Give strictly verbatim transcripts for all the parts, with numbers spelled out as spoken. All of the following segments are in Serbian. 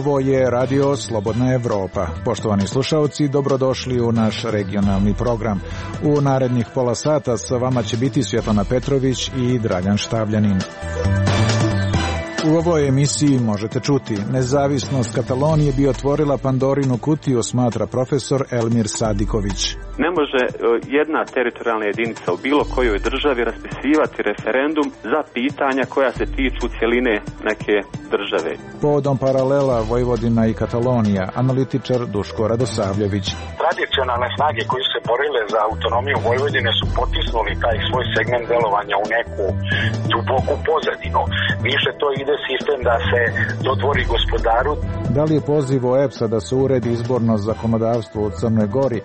Ovo je Radio Slobodna Evropa. Poštovani slušalci, dobrodošli u naš regionalni program. U narednih pola sata sa vama će biti Svjetlana Petrović i Dragan Štavljanin. U ovoj emisiji možete čuti: nezavisnost Katalonije bi otvorila Pandorinu kutiju, smatra profesor Elmir Sadiković. Ne može jedna teritorijalna jedinica u bilo kojoj državi raspisivati referendum za pitanja koja se tiču cjeline neke države. Povodom paralela Vojvodina i Katalonija, analitičar Duško Radosavljević. Tradicionalne snage koje su se borile za autonomiju Vojvodine su potisnuli taj svoj segment delovanja u neku duboku pozadinu. Više to ide sistem da se dodvori gospodaru. Da li je poziv O E P S-a da se uredi izborno zakonodavstvo u Crnoj Gori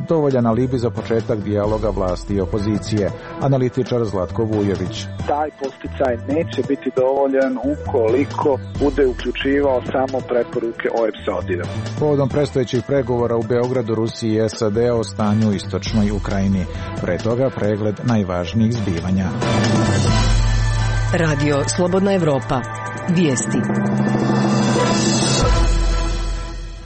dovoljan alibi za početak dijaloga vlasti i opozicije? Analitičar Zlatko Vujović. Taj posticaj neće biti dovoljan ukoliko bude uključivao samo preporuke O E P S-a odira. Povodom predstojećih pregovora u Beogradu, Rusiji i S A D o stanju u istočnoj Ukrajini. Pre toga pregled najvažnijih zbivanja. Radio Slobodna Evropa. Vijesti.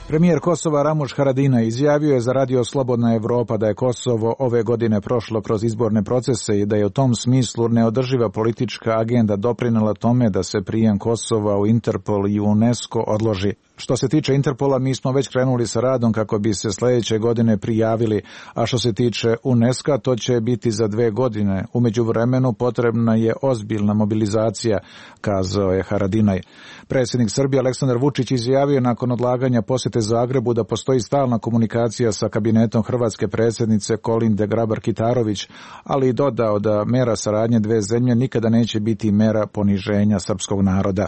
Premijer Kosova Ramuš Haradinaj izjavio je za Radio Slobodna Evropa da je Kosovo ove godine prošlo kroz izborne procese i da je u tom smislu neodrživa politička agenda doprinela tome da se prijem Kosova u Interpol i UNESCO odloži. Što se tiče Interpola, mi smo već krenuli sa radom kako bi se sljedeće godine prijavili, a što se tiče UNESCO, to će biti za dve godine. U međuvremenu potrebna je ozbiljna mobilizacija, kazao je Haradinaj. Predsjednik Srbije Aleksandar Vučić izjavio nakon odlaganja posjete Zagrebu da postoji stalna komunikacija sa kabinetom hrvatske predsjednice Kolinde Grabar-Kitarović, ali i dodao da mera saradnje dve zemlje nikada neće biti mera poniženja srpskog naroda.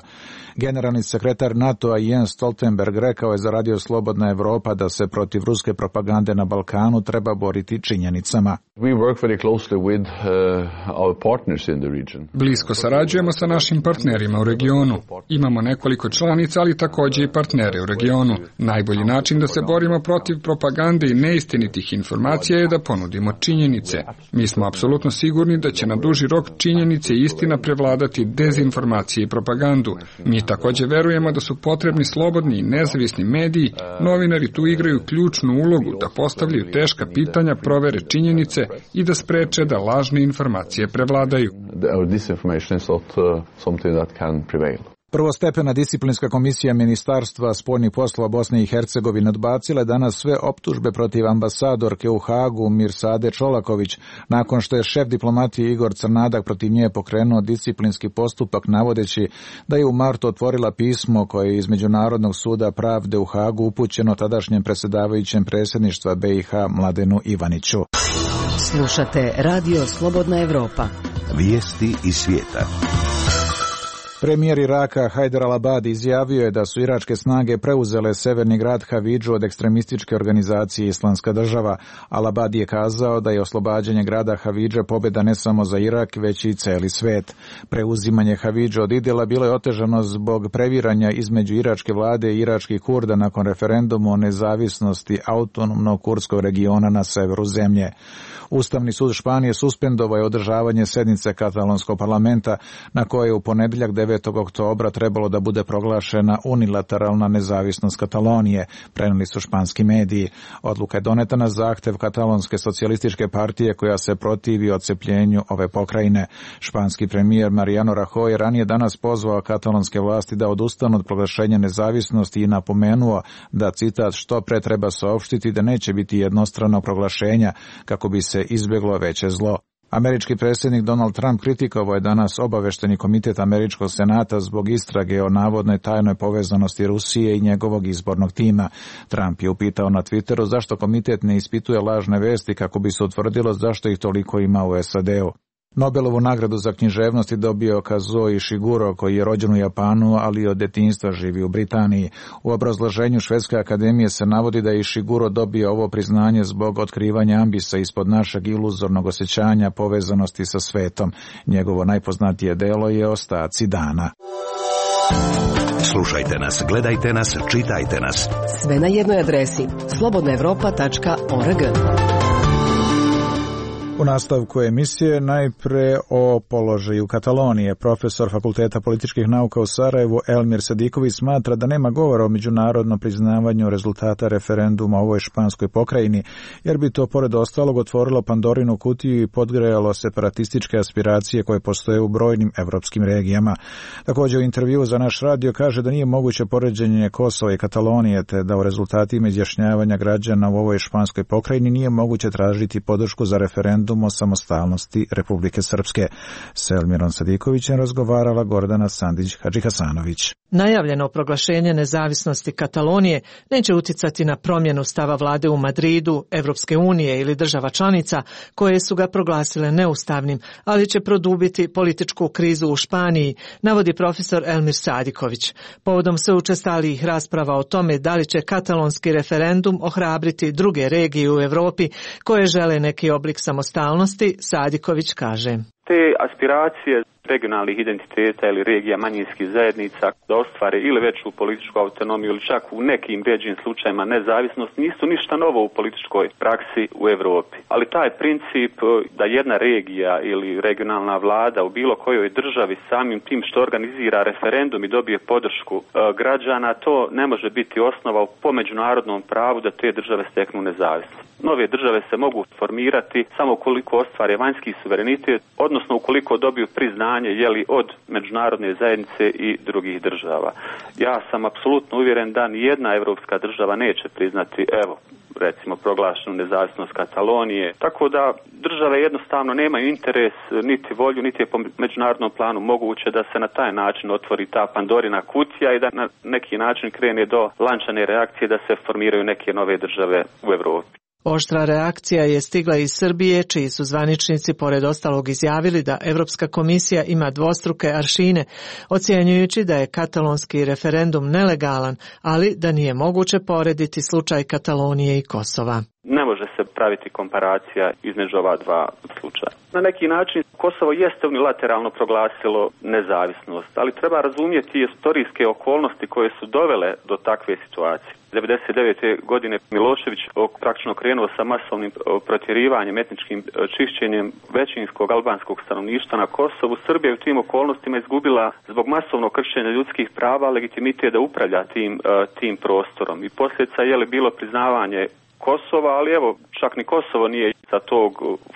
Generalni sekretar NATO-a Jens Stoltenberg rekao je za Radio Slobodna Evropa da se protiv ruske propagande na Balkanu treba boriti činjenicama. We work very closely with uh, our partners in the region. Blisko sarađujemo sa našim partnerima u regionu. Imamo nekoliko članica, ali također i partnere u regionu. Najbolji način da se borimo protiv propagande i neistinitih informacija je da ponudimo činjenice. Mi smo apsolutno sigurni da će na duži rok činjenice i istina prevladati dezinformacije i propagandu. Mi također verujemo da su potrebni slobodni i nezavisni mediji. Novinari tu igraju ključnu ulogu da postavljaju teška pitanja, provere činjenice i da spreče da lažne informacije prevladaju. Prvostepena disciplinska komisija Ministarstva spoljnih poslova Bosne i Hercegovine odbacila je danas sve optužbe protiv ambasadorke u Hagu Mirsade Čolaković, nakon što je šef diplomatije Igor Crnadak protiv nje pokrenuo disciplinski postupak navodeći da je u martu otvorila pismo koje je iz Međunarodnog suda pravde u Hagu upućeno tadašnjem predsjedavajućem predsjedništva B i H Mladenu Ivaniću. Slušate Radio Slobodna Evropa. Vijesti iz svijeta. Premijer Iraka Hajdar al-Abadi izjavio je da su iračke snage preuzele severni grad Havidžu od ekstremističke organizacije Islamska država. Al-Abadi je kazao da je oslobađanje grada Havidža pobjeda ne samo za Irak, već i cijeli svijet. Preuzimanje Havidža od Idila bilo je otežano zbog previranja između iračke vlade i iračkih Kurda nakon referenduma o nezavisnosti autonomnog kurdskog regiona na severu zemlje. Ustavni sud Španije suspendovao je održavanje sednice katalonskog parlamenta na kojoj je u ponedjeljak devetog oktobra trebalo da bude proglašena unilateralna nezavisnost Katalonije, prenijeli su španski mediji. Odluka je doneta na zahtev katalonske socijalističke partije koja se protivi odcepljenju ove pokrajine. Španski premijer Mariano Rajoy ranije danas pozvao katalonske vlasti da odustanu od proglašenja nezavisnosti i napomenuo da, citat, što pre treba saopštiti da neće biti jednostrano proglašenja kako bi se izbjeglo veće zlo. Američki predsjednik Donald Trump kritikovao je danas obavešteni komitet Američkog senata zbog istrage o navodnoj tajnoj povezanosti Rusije i njegovog izbornog tima. Trump je upitao na Twitteru zašto komitet ne ispituje lažne vesti kako bi se utvrdilo zašto ih toliko ima u S A D-u. Nobelovu nagradu za književnost je dobio Kazuo Ishiguro, koji je rođen u Japanu, ali od detinjstva živi u Britaniji. U obrazloženju Švedske akademije se navodi da je Ishiguro dobio ovo priznanje zbog otkrivanja ambisa ispod našeg iluzornog osjećanja povezanosti sa svetom. Njegovo najpoznatije delo je Ostaci dana. Slušajte nas, gledajte nas, čitajte nas. Sve na jednoj adresi slobodna evropa tačka org. U nastavku emisije najpre o položaju Katalonije. Profesor Fakulteta političkih nauka u Sarajevu Elmir Sadiković smatra da nema govora o međunarodnom priznavanju rezultata referenduma o ovoj španskoj pokrajini, jer bi to pored ostalog otvorilo Pandorinu kutiju i podgrejalo separatističke aspiracije koje postoje u brojnim evropskim regijama. Također u intervju za naš radio kaže da nije moguće poređenje Kosova i Katalonije, te da u rezultatima izjašnjavanja građana u ovoj španskoj pokrajini nije moguće tražiti podršku za referendum o samostalnosti Republike Srpske. S Elmirom Sadikovićem razgovarala Gordana Sandić-Hadžihasanović. Najavljeno proglašenje nezavisnosti Katalonije neće uticati na promjenu stava vlade u Madridu, Evropske unije ili država članica koje su ga proglasile neustavnim, ali će produbiti političku krizu u Španiji, navodi profesor Elmir Sadiković. Povodom sve učestalijih rasprava o tome da li će katalonski referendum ohrabriti druge regije u Europi koje žele neki oblik samostalnosti, Sadiković kaže. Te aspiracije regionalnih identiteta ili regija manjinskih zajednica da ostvare ili veću političku autonomiju ili čak u nekim ređim slučajima nezavisnost nisu ništa novo u političkoj praksi u Europi. Ali taj princip da jedna regija ili regionalna vlada u bilo kojoj državi samim tim što organizira referendum i dobije podršku građana, to ne može biti osnova po međunarodnom pravu da te države steknu nezavisnost. Nove države se mogu formirati samo ukoliko ostvare vanjski suverenitet, odnosno ukoliko dobiju priznanje jeli, od međunarodne zajednice i drugih država. Ja sam apsolutno uvjeren da nijedna evropska država neće priznati, evo, recimo proglašenu nezavisnost Katalonije, tako da države jednostavno nemaju interes, niti volju, niti je po međunarodnom planu moguće da se na taj način otvori ta Pandorina kutija i da na neki način krene do lančane reakcije da se formiraju neke nove države u Europi. Oštra reakcija je stigla iz Srbije, čiji su zvaničnici pored ostalog izjavili da Evropska komisija ima dvostruke aršine, ocjenjujući da je katalonski referendum nelegalan, ali da nije moguće porediti slučaj Katalonije i Kosova. Ne može se praviti komparacija između ova dva slučaja. Na neki način Kosovo jeste unilateralno proglasilo nezavisnost, ali treba razumjeti istorijske okolnosti koje su dovele do takve situacije. devedeset devete godine Milošević praktično krenuo sa masovnim protjerivanjem, etničkim čišćenjem većinskog albanskog stanovništva na Kosovu. Srbija je u tim okolnostima izgubila zbog masovnog kršenja ljudskih prava legitimitet da upravlja tim, tim prostorom. I posljedica je li bilo priznavanje Kosova, ali evo, čak ni Kosovo nije sa tog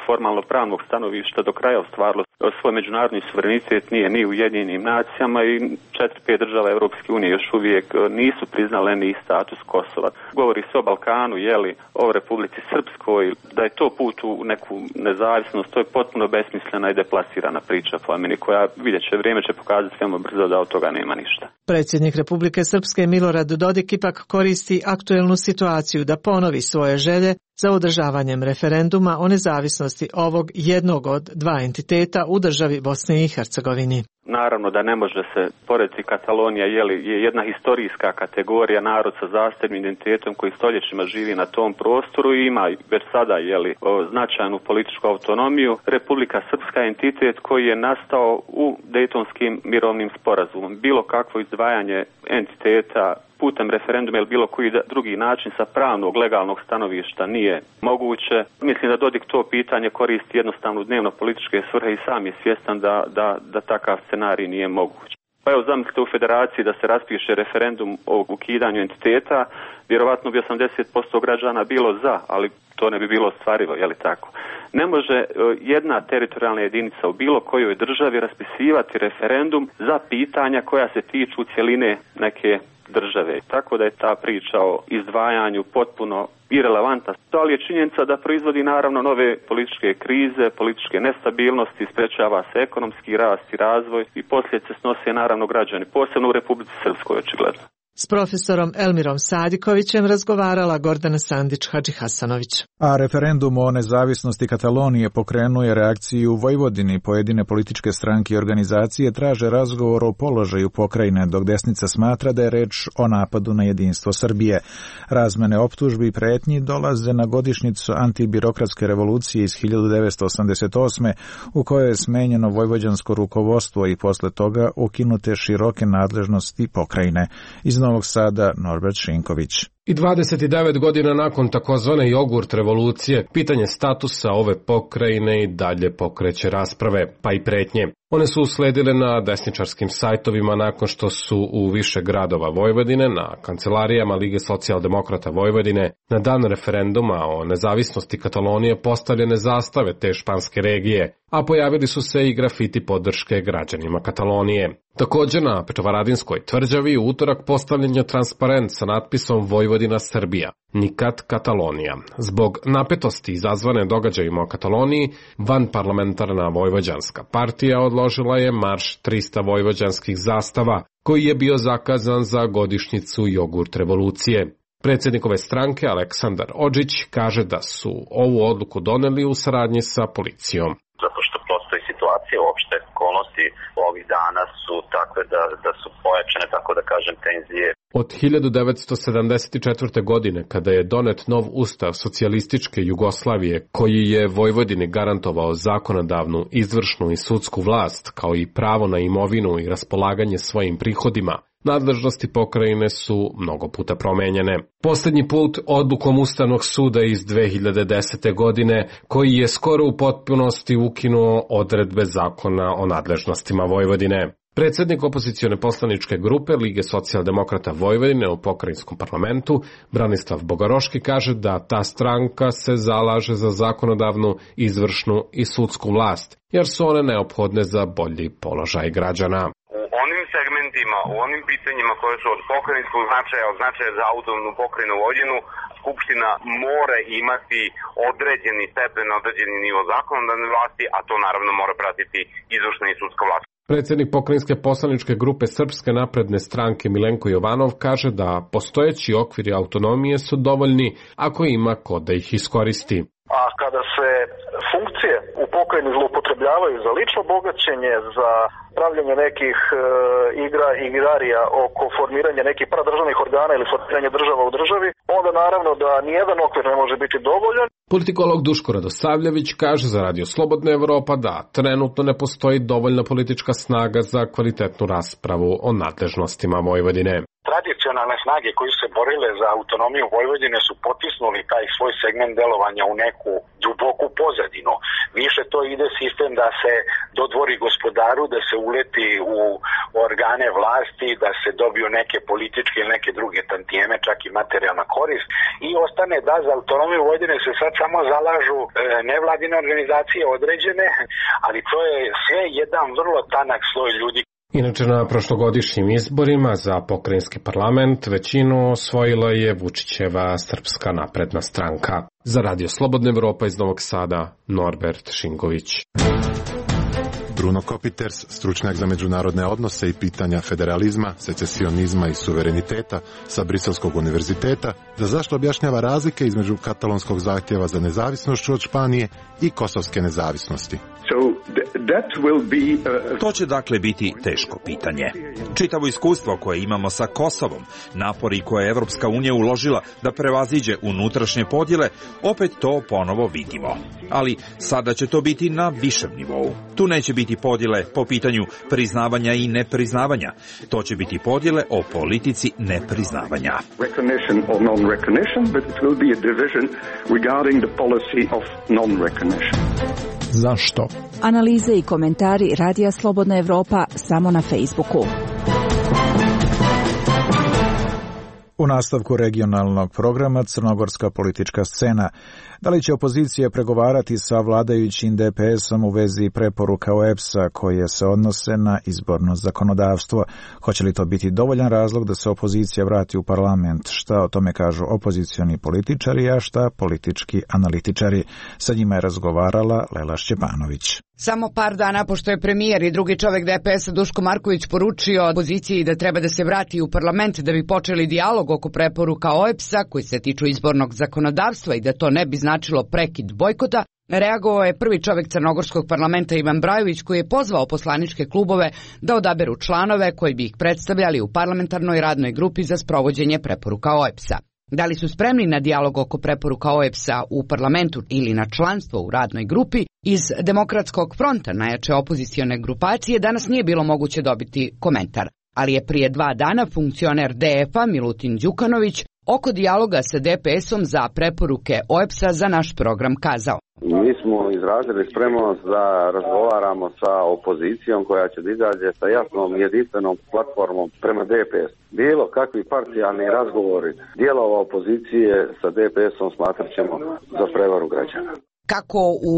formalno pravnog stanovišta do kraja ostvarilo svoj međunarodni suverenitet, nije ni u Ujedinjenim nacijama i četiri pet država Europske unije još uvijek nisu priznale ni status Kosova. Govori se o Balkanu, jeli, o Republici Srpskoj, da je to put u neku nezavisnost, to je potpuno besmislena i deplasirana priča po meni, koja vidjet će, vrijeme će pokazati veoma brzo da od toga nema ništa. Predsjednik Republike Srpske Milorad Dodik ipak koristi aktuelnu situaciju da ponovi svoje želje za održavanjem referenduma o nezavisnosti ovog jednog od dva entiteta u državi Bosne i Hercegovini. Naravno da ne može se porediti Katalonija, jeli, je jedna historijska kategorija, narod sa zasebnim identitetom koji stoljećima živi na tom prostoru i ima već sada jeli, značajnu političku autonomiju. Republika Srpska je entitet koji je nastao u Dejtonskim mirovnim sporazumom. Bilo kakvo izdvajanje entiteta putem referenduma ili bilo koji drugi način sa pravnog, legalnog stanovišta nije moguće. Mislim da Dodik to pitanje koristi jednostavno u dnevno političke svrhe i sam je svjestan da, da, da takav scenarij nije moguć. Pa evo zamislite u federaciji da se raspiše referendum o ukidanju entiteta, vjerovatno bi osamdeset posto građana bilo za, ali to ne bi bilo ostvarivo, je li tako? Ne može jedna teritorijalna jedinica u bilo kojoj državi raspisivati referendum za pitanja koja se tiču cjeline neke države. Tako da je ta priča o izdvajanju potpuno irelevantna. Ali je činjenica da proizvodi naravno nove političke krize, političke nestabilnosti, sprečava se ekonomski rast i razvoj i posljedice snose naravno građani, posebno u Republici Srpskoj očigledno. S profesorom Elmirom Sadikovićem razgovarala Gordana Sandić-Hadžihasanović. A referendum o nezavisnosti Katalonije pokrenuje reakciju u Vojvodini. Pojedine političke stranke i organizacije traže razgovor o položaju pokrajine, dok desnica smatra da je reč o napadu na jedinstvo Srbije. Razmene optužbi i pretnji dolaze na godišnjicu antibirokratske revolucije iz hiljadu devetsto osamdeset osme. u kojoj je smenjeno vojvođansko rukovodstvo i posle toga ukinute široke nadležnosti pokrajine. Iz Novog Sada Norbert Šinković. I dvadeset devet godina nakon takozvane jogurt revolucije, pitanje statusa ove pokrajine i dalje pokreće rasprave, pa i pretnje. One su usledile na desničarskim sajtovima nakon što su u više gradova Vojvodine, na kancelarijama Lige socijaldemokrata Vojvodine, na dan referenduma o nezavisnosti Katalonije postavljene zastave te španske regije, a pojavili su se i grafiti podrške građanima Katalonije. Također na Petrovaradinskoj tvrđavi u utorak postavljen je transparent sa natpisom Vojvodina Srbija, nikad Katalonija. Zbog napetosti izazvane događajima o Kataloniji, vanparlamentarna vojvođanska partija odložila je marš trista vojvođanskih zastava, koji je bio zakazan za godišnjicu jogurt revolucije. Predsjednik ove stranke, Aleksandar Odžić, kaže da su ovu odluku doneli u saradnji sa policijom. Zato što postoji situacija, uopšte okolnosti ovih dana su takve da, da su pojačane, tako da kažem, tenzije. Od hiljadu devetsto sedamdeset četvrte. godine, kada je donet nov ustav socijalističke Jugoslavije, koji je Vojvodini garantovao zakonodavnu, izvršnu i sudsku vlast, kao i pravo na imovinu i raspolaganje svojim prihodima, nadležnosti pokrajine su mnogo puta promenjene. Posljednji put odlukom Ustavnog suda iz dve hiljade desete. godine, koji je skoro u potpunosti ukinuo odredbe zakona o nadležnostima Vojvodine. Predsjednik opozicione poslaničke grupe Lige socijaldemokrata Vojvodine u pokrajinskom parlamentu, Branislav Bogaroški, kaže da ta stranka se zalaže za zakonodavnu, izvršnu i sudsku vlast, jer su one neophodne za bolji položaj građana. U onim segmentima, u onim pitanjima koje su od pokrajinskog značaja, od značaja za autonomnu pokrajinu Vojvodinu, Skupština mora imati određeni stepen, određeni nivo zakonodavne vlasti, a to naravno mora pratiti izvršna i sudska vlast. Predsjednik pokrajinske poslaničke grupe Srpske napredne stranke Milenko Jovanov kaže da postojeći okviri autonomije su dovoljni ako ima ko da ih iskoristi. A kada se funkcije u pokrajini zloupotrebljavaju za lično bogaćenje, za pravljanje nekih e, igra i igrarija oko formiranja nekih paradržavnih organa ili formiranja država u državi, onda naravno da nijedan okvir ne može biti dovoljan. Politikolog Duško Radosavljević kaže za Radio Slobodna Evropa da trenutno ne postoji dovoljna politička snaga za kvalitetnu raspravu o nadležnostima Vojvodine. Tradicionalne snage koje su se borile za autonomiju Vojvodine su potisnuli taj svoj segment delovanja u neku duboku pozadinu. Više to ide sistem da se dodvori gospodaru, da se uleti u organe vlasti, da se dobiju neke političke ili neke druge tantijeme, čak i materijalna korist. I ostane da za autonomiju Vojvodine se sad samo zalažu e, nevladine organizacije određene, ali to je sve jedan vrlo tanak sloj ljudi. Inače, na prošlogodišnjim izborima za pokrajinski parlament većinu osvojila je Vučićeva Srpska napredna stranka. Za Radio Slobodna Evropa iz Novog Sada, Norbert Šingović. Bruno Kopiters, stručnjak za međunarodne odnose i pitanja federalizma, secesionizma i suvereniteta sa Briselskog univerziteta, da zašto objašnjava razlike između katalonskog zahtjeva za nezavisnošću od Španije i kosovske nezavisnosti. To će dakle biti teško pitanje. Čitavo iskustvo koje imamo sa Kosovom, napori koje je Evropska unija uložila da prevaziđe unutrašnje podjele, opet to ponovo vidimo. Ali sada će to biti na višem nivou. Tu neće biti podjele po pitanju priznavanja i nepriznavanja. To će biti podjele o politici nepriznavanja. Zašto? Analize i komentari Radija Slobodna Evropa samo na Facebooku. U nastavku regionalnog programa Crnogorska politička scena. Da li će opozicija pregovarati sa vladajućim D P S-om u vezi preporuka O E B S-a koje se odnose na izborno zakonodavstvo? Hoće li to biti dovoljan razlog da se opozicija vrati u parlament? Šta o tome kažu opozicioni političari, a šta politički analitičari? Sa njima je razgovarala Lela Šćepanović. Samo par dana pošto je premijer i drugi čovjek D P S-a Duško Marković poručio opoziciji da treba da se vrati u parlament da bi počeli dijalog oko preporuka O E B S-a koji se tiču izbornog zakonodavstva i da to ne bi značilo prekid bojkota, reagovao je prvi čovjek Crnogorskog parlamenta Ivan Brajović koji je pozvao poslaničke klubove da odaberu članove koji bi ih predstavljali u parlamentarnoj radnoj grupi za sprovođenje preporuka O E B S-a. Da li su spremni na dijalog oko preporuka O E B S-a u parlamentu ili na članstvo u radnoj grupi, iz Demokratskog fronta, najjače opozicione grupacije, danas nije bilo moguće dobiti komentar. Ali je prije dva dana funkcioner D F-a Milutin Đukanović oko dijaloga sa D P S-om za preporuke O E P S-a za naš program kazao. Mi smo izrazili spremnost da razgovaramo sa opozicijom koja će da izađe sa jasnom jedinstvenom platformom prema D P S. Bilo kakvi parcijalni razgovori dijelova opozicije sa D P S-om smatrat ćemo za prevaru građana. Kako u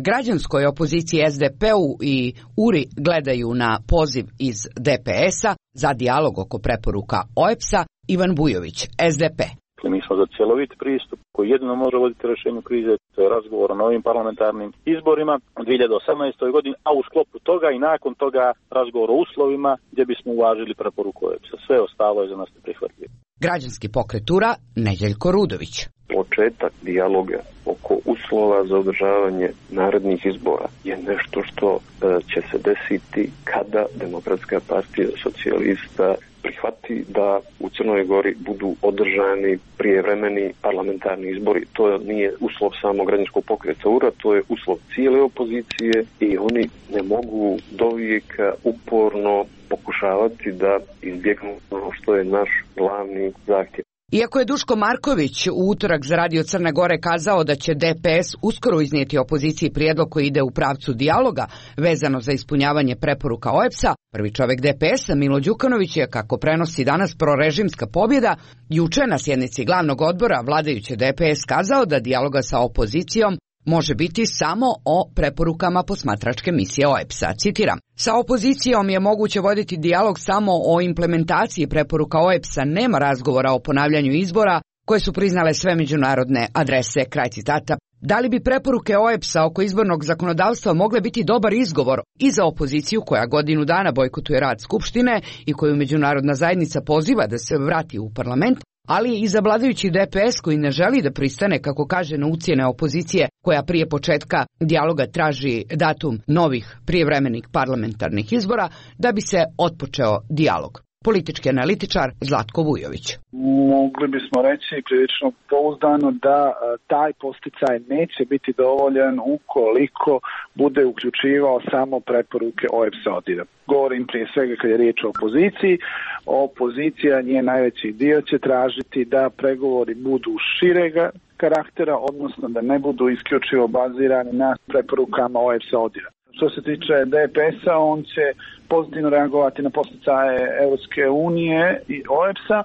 građanskoj opoziciji S D P-u i U R I gledaju na poziv iz D P S-a za dijalog oko preporuka O E P S-a, Ivan Bujović, S D P. Mi smo za cjelovit pristup koji jedino može voditi rješenju krize, to je razgovor o novim parlamentarnim izborima u dvije hiljade osamnaestoj. godini, a u sklopu toga i nakon toga razgovor o uslovima gdje bismo uvažili preporuku O E P S-a. Sve ostalo je za nas neprihvatljivo. Građanski pokret U R A, Nedeljko Rudović. Početak dijaloga oko uslova za održavanje narednih izbora je nešto što e, će se desiti kada Demokratska partija socijalista prihvati da u Crnoj Gori budu održani prijevremeni parlamentarni izbori. To nije uslov samo građanskog pokreta U R A, to je uslov cijele opozicije i oni ne mogu dovijeka uporno pokušavati da izbjegnu ono što je naš glavni zahtjev. Iako je Duško Marković u utorak za Radio Crne Gore kazao da će D P S uskoro iznijeti opoziciji prijedlog koji ide u pravcu dijaloga vezano za ispunjavanje preporuka O E P S-a, prvi čovjek D P S-a Milo Đukanović je, kako prenosi danas prorežimska pobjeda, juče na sjednici glavnog odbora vladajuće D P S kazao da dijaloga sa opozicijom može biti samo o preporukama posmatračke misije O E P S-a. Citiram: sa opozicijom je moguće voditi dijalog samo o implementaciji preporuka O E P S-a, nema razgovora o ponavljanju izbora koje su priznale sve međunarodne adrese. Kraj citata. Da li bi preporuke O E P S-a oko izbornog zakonodavstva mogle biti dobar izgovor i za opoziciju koja godinu dana bojkotuje rad Skupštine i koju međunarodna zajednica poziva da se vrati u parlament, ali i za vladajući D P S koji ne želi da pristane, kako kaže, na ucjene opozicije koja prije početka dijaloga traži datum novih prijevremenih parlamentarnih izbora da bi se otpočeo dijalog. Politički analitičar Zlatko Vujović. Mogli bismo reći prilično pouzdano da taj posticaj neće biti dovoljan ukoliko bude uključivao samo preporuke O E P S-a. Govorim prije svega kad je riječ o opoziciji. Opozicija, nje najveći dio će tražiti da pregovori budu širega karaktera, odnosno da ne budu isključivo bazirani na preporukama O E P S-a. Što se tiče D P S-a, on će pozitivno reagovati na posticaje Europske unije i O E P S-a,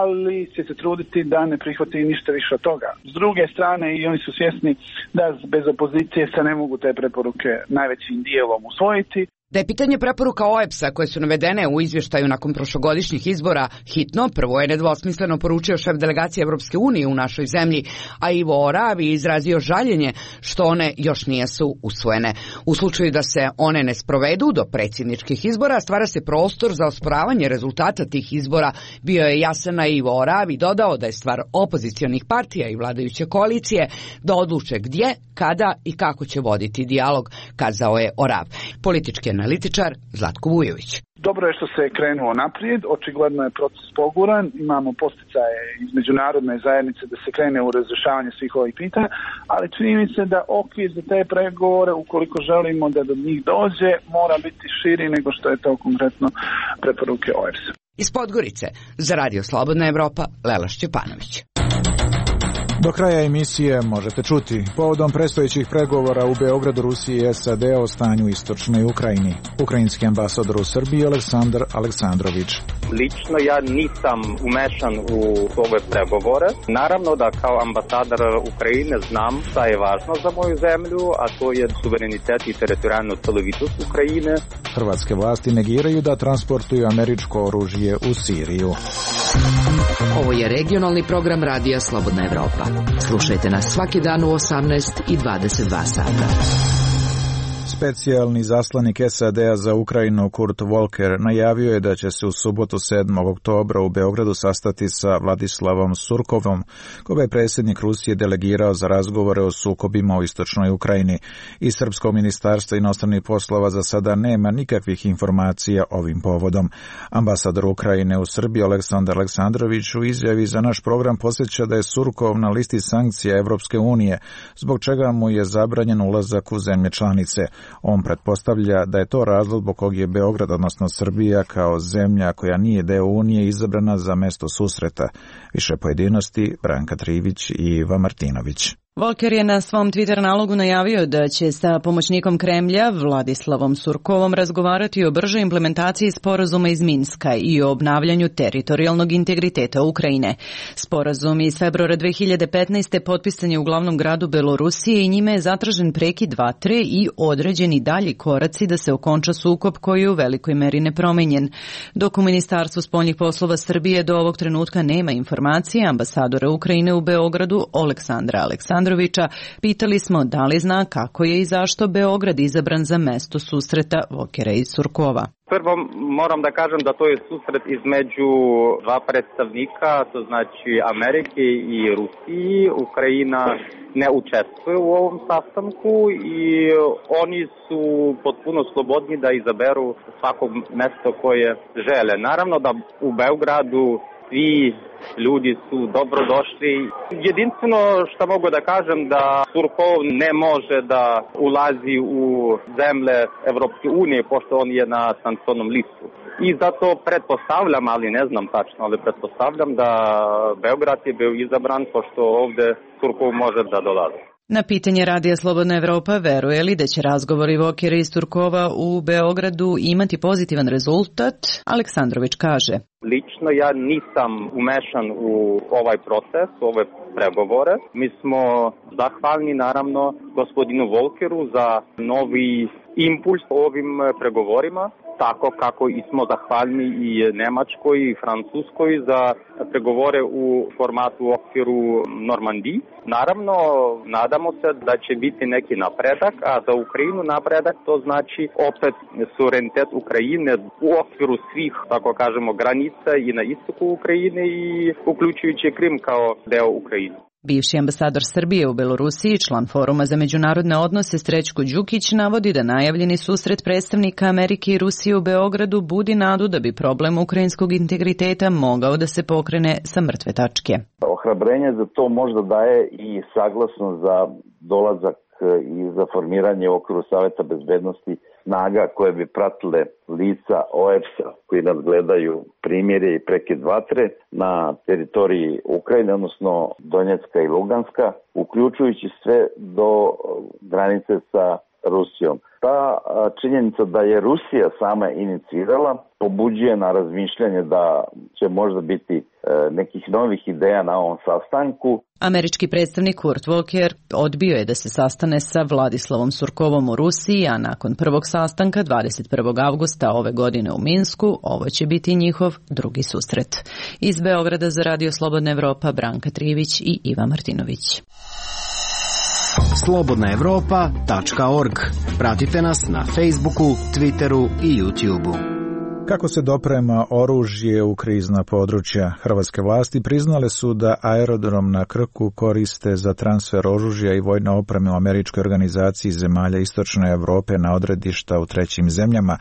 ali će se truditi da ne prihvati ništa više od toga. S druge strane, i oni su svjesni da bez opozicije se ne mogu te preporuke najvećim dijelom usvojiti. Da je pitanje preporuka O E P S-a koje su navedene u izvještaju nakon prošlogodišnjih izbora hitno, prvo je nedvosmisleno poručio šef delegacije Europske unije u našoj zemlji, a Ivo Oravi izrazio žaljenje što one još nisu usvojene. U slučaju da se one ne sprovedu do predsjedničkih izbora, stvara se prostor za osporavanje rezultata tih izbora. Bio je jasan, a Ivo Oravi dodao da je stvar opozicionih partija i vladajuće koalicije da odluče gdje, kada i kako će voditi dijalog, kazao je Orav. Politički analitičar Zlatko Vujović. Dobro je što se je krenuo naprijed, očigledno je proces poguran, imamo posticaje iz međunarodne zajednice da se krene u razrješavanje svih ovih pitanja, ali čini mi se da okvir za te pregovore, ukoliko želimo da do njih dođe, mora biti širi nego što je to konkretno preporuke O E P S-a. Iz Podgorice, za Radio Slobodna Evropa, Lela Šćepanović. Do kraja emisije možete čuti povodom predstojećih pregovora u Beogradu, Rusiji i S A D o stanju u istočnoj Ukrajini. Ukrajinski ambasador u Srbiji Aleksandar Aleksandrović. Lično ja nisam umešan u ove pregovore. Naravno da kao ambasador Ukrajine znam šta je važno za moju zemlju, a to je suverenitet i teritorijalna celovitost Ukrajine. Hrvatske vlasti negiraju da transportuju američko oružje u Siriju. Ovo je regionalni program Radija Slobodna Evropa. Slušajte nas svaki dan u osamnaest i dvadeset dva sata. Specijalni zaslanik S A D-a za Ukrajinu Kurt Volker najavio je da će se u subotu sedmog oktobra u Beogradu sastati sa Vladislavom Surkovom, koga je predsjednik Rusije delegirao za razgovore o sukobima u istočnoj Ukrajini. I Srpsko ministarstvo inostranih poslova za sada nema nikakvih informacija ovim povodom. Ambasador Ukrajine u Srbiji Aleksandar Aleksandrović u izjavi za naš program podsjeća da je Surkov na listi sankcija Evropske unije, zbog čega mu je zabranjen ulazak u zemlje članice. On pretpostavlja da je to razlog zbog kog je Beograd, odnosno Srbija, kao zemlja koja nije deo Unije, izabrana za mesto susreta. Više pojedinosti Branka Trivić i Iva Martinović. Volker je na svom Twitter nalogu najavio da će sa pomoćnikom Kremlja Vladislavom Surkovom razgovarati o bržoj implementaciji sporazuma iz Minska i o obnavljanju teritorijalnog integriteta Ukrajine. Sporazum iz februara dve hiljade petnaeste. potpisan je u glavnom gradu Belorusije i njime je zatražen prekid vatre i određeni dalji koraci da se okonča sukob koji je u velikoj meri nepromenjen. Dok u Ministarstvu spoljnih poslova Srbije do ovog trenutka nema informacije, ambasadora Ukrajine u Beogradu Aleksandra Aleksandra pitali smo da li zna kako je i zašto Beograd izabran za mesto susreta Volkera i Surkova. Prvo moram da kažem da to je susret između dva predstavnika, to znači Amerike i Rusiji. Ukrajina ne učestvuje u ovom sastanku i oni su potpuno slobodni da izaberu svako mesto koje žele. Naravno da u Beogradu svi ljudi su dobrodošli. Jedinstveno što mogu da kažem da Surkov ne može da ulazi u zemlje Evropske unije pošto on je na sankcionnom listu. I zato pretpostavljam, ali ne znam tačno, ali pretpostavljam da Beograd je bio izabran pošto ovde Surkov može da dolazi. Na pitanje Radija Slobodna Evropa veruje li da će razgovori Volkera i Surkova u Beogradu imati pozitivan rezultat, Aleksandrović kaže. Lično ja nisam umešan u ovaj proces, u ove pregovore. Mi smo zahvalni naravno gospodinu Volkeru za novi impuls ovim pregovorima. Tako kako i smo zahvalni i Nemačkoj i Francuskoj za pregovore u formatu u okviru Normandiji. Naravno, nadamo se da će biti neki napredak, a za Ukrajinu napredak to znači opet suverenitet Ukrajine u okviru svih, tako kažemo, granica i na istoku Ukrajine i uključujući Krim kao deo Ukrajine. Bivši ambasador Srbije u Belorusiji, član Foruma za međunarodne odnose Srećko Đukić, navodi da najavljeni susret predstavnika Amerike i Rusije u Beogradu budi nadu da bi problem ukrajinskog integriteta mogao da se pokrene sa mrtve tačke. Ohrabrenje za to možda daje i saglasno za dolazak i za formiranje u okviru Saveta bezbednosti snaga koje bi pratile lica O E B S-a koji nas gledaju primjere i prekid vatre na teritoriji Ukrajine, odnosno Donjecka i Luganska, uključujući sve do granice sa Rusijom. Ta činjenica da je Rusija sama inicirala pobuđuje na razmišljanje da će možda biti nekih novih ideja na ovom sastanku. Američki predstavnik Kurt Volker odbio je da se sastane sa Vladislavom Surkovom u Rusiji, a nakon prvog sastanka dvadeset prvog avgusta ove godine u Minsku, ovo će biti njihov drugi susret. Iz Beograda za Radio Slobodna Evropa, Branka Trivić i Iva Martinović. slobodna evropa tačka org. Pratite nas na Facebooku, Twitteru i YouTubeu. Kako se doprema oružje u krizna područja? Hrvatske vlasti priznale su da aerodrom na Krku koriste za transfer oružja i vojne opreme u američkoj organizaciji zemalja Istočne Evrope na odredišta u trećim zemljama,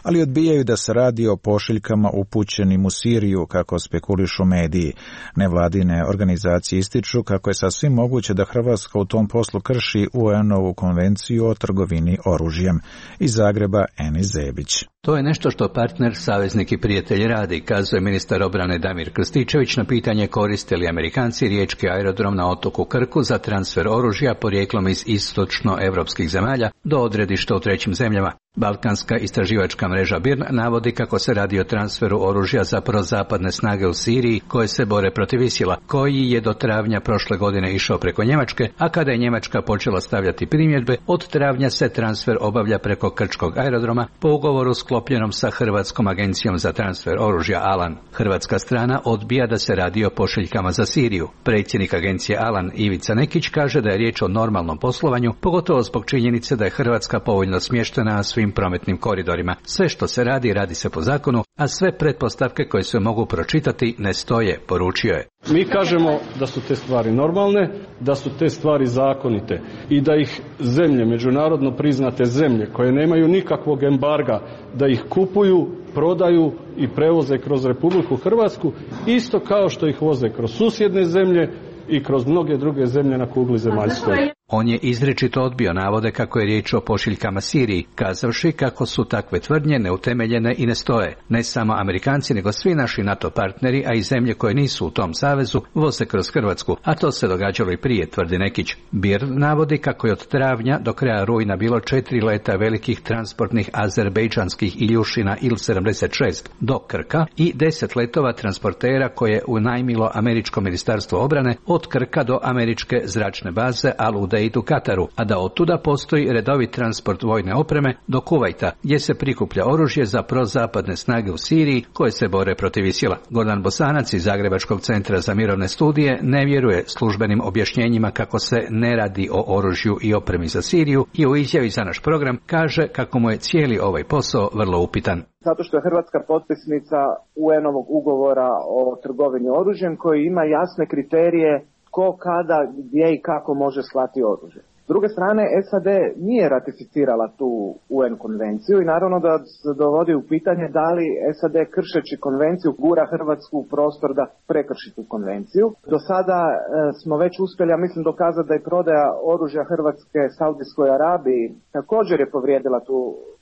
ali odbijaju da se radi o pošiljkama upućenim u Siriju, kako spekulišu mediji. Nevladine organizacije ističu kako je sasvim moguće da Hrvatska u tom poslu krši U N-ovu konvenciju o trgovini oružjem. Iz Zagreba, Enis Zebić. To je nešto što partner, saveznik i prijatelj radi, kazuje ministar obrane Damir Krstičević na pitanje koriste li Amerikanci riječki aerodrom na otoku Krku za transfer oružja porijeklom iz istočnoevropskih zemalja do odredišta u trećim zemljama. Balkanska istraživačka mreža B I R N navodi kako se radi o transferu oružja za prozapadne snage u Siriji koje se bore protiv Isila, koji je do travnja prošle godine išao preko Njemačke, a kada je Njemačka počela stavljati primjedbe, od travnja se transfer obavlja preko Krčkog aerodroma po ugovoru sklopljenom sa Hrvatskom agencijom za transfer oružja Alan. Hrvatska strana odbija da se radi o pošiljkama za Siriju. Predsjednik agencije Alan Ivica Nekić kaže da je riječ o normalnom poslovanju, pogotovo zbog činjenice da je Hrvatska povoljno smještena na svim prometnim koridorima. Sve što se radi, radi se po zakonu, a sve pretpostavke koje se mogu pročitati ne stoje, poručio je. Mi kažemo da su te stvari normalne, da su te stvari zakonite i da ih zemlje, međunarodno priznate zemlje koje nemaju nikakvog embarga, da ih kupuju, prodaju i prevoze kroz Republiku Hrvatsku, isto kao što ih voze kroz susjedne zemlje i kroz mnoge druge zemlje na kugli zemaljskoj. On je izričito odbio navode kako je riječ o pošiljkama Siriji, kazavši kako su takve tvrdnje neutemeljene i ne stoje. Ne samo Amerikanci, nego svi naši NATO partneri, a i zemlje koje nisu u tom savezu, voze kroz Hrvatsku, a to se događalo i prije, tvrdi Nekić. Bir navodi kako je od travnja do kraja rujna bilo četiri leta velikih transportnih azerbejdžanskih Iljušina Il sedamdeset šest do Krka i deset letova transportera koje je unajmilo američko ministarstvo obrane od Krka do američke zračne baze Al-Udeid u Kataru, a da otuda postoji redovit transport vojne opreme do Kuvajta, gdje se prikuplja oružje za prozapadne snage u Siriji koje se bore protiv Isila. Gordan Bosanac iz Zagrebačkog centra za mirovne studije ne vjeruje službenim objašnjenjima kako se ne radi o oružju i opremi za Siriju i u izjavi za naš program kaže kako mu je cijeli ovaj posao vrlo upitan. Zato što je Hrvatska potpisnica U N-ovog ugovora o trgovini oružjem koji ima jasne kriterije ko, kada, gdje i kako može slati oružje. S druge strane, S A D nije ratificirala tu U N konvenciju i naravno da se dovodi u pitanje da li S A D kršeći konvenciju gura Hrvatsku u prostor da prekrši tu konvenciju. Do sada e, smo već uspjeli, ja mislim, dokazati da je prodaja oružja Hrvatske Saudijskoj Arabiji također je povrijedila tu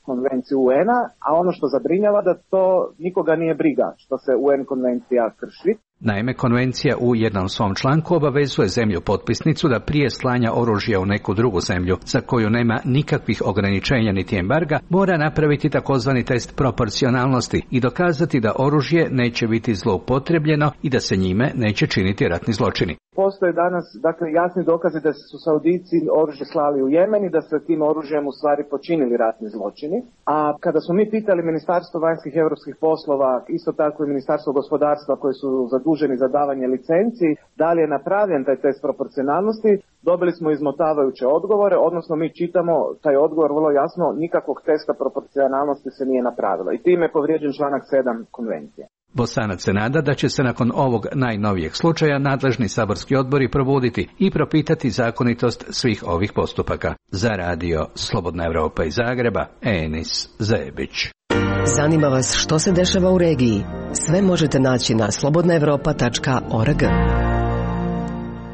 konvenciju U N-a, a ono što zabrinjava da to nikoga nije briga što se U N konvencija krši. Naime, konvencija u jednom svom članku obavezuje zemlju potpisnicu da prije slanja oružja u neku drugu zemlju, za koju nema nikakvih ograničenja niti embarga, mora napraviti takozvani test proporcionalnosti i dokazati da oružje neće biti zloupotrebljeno i da se njime neće činiti ratni zločini. Postoje danas, dakle, jasni dokazi da su Saudici oružje slali u Jemen i da se tim oružjem u stvari počinili ratni zločini. A kada smo mi pitali Ministarstvo vanjskih i europskih poslova, isto tako i Ministarstvo gospodarstva koji su zaduženi za davanje licenci, da li je napravljen taj test proporcionalnosti, dobili smo izmotavajuće odgovore, odnosno mi čitamo taj odgovor vrlo jasno, nikakvog testa proporcionalnosti se nije napravilo. I time je povrijeđen članak sedam konvencije. Bosanac se nada da će se nakon ovog najnovijeg slučaja nadležni saborski odbori probuditi i propitati zakonitost svih ovih postupaka. Za radio Slobodna Evropa iz Zagreba, Enis Zebić. Zanima vas što se dešava u regiji? Sve možete naći na slobodna evropa tačka org.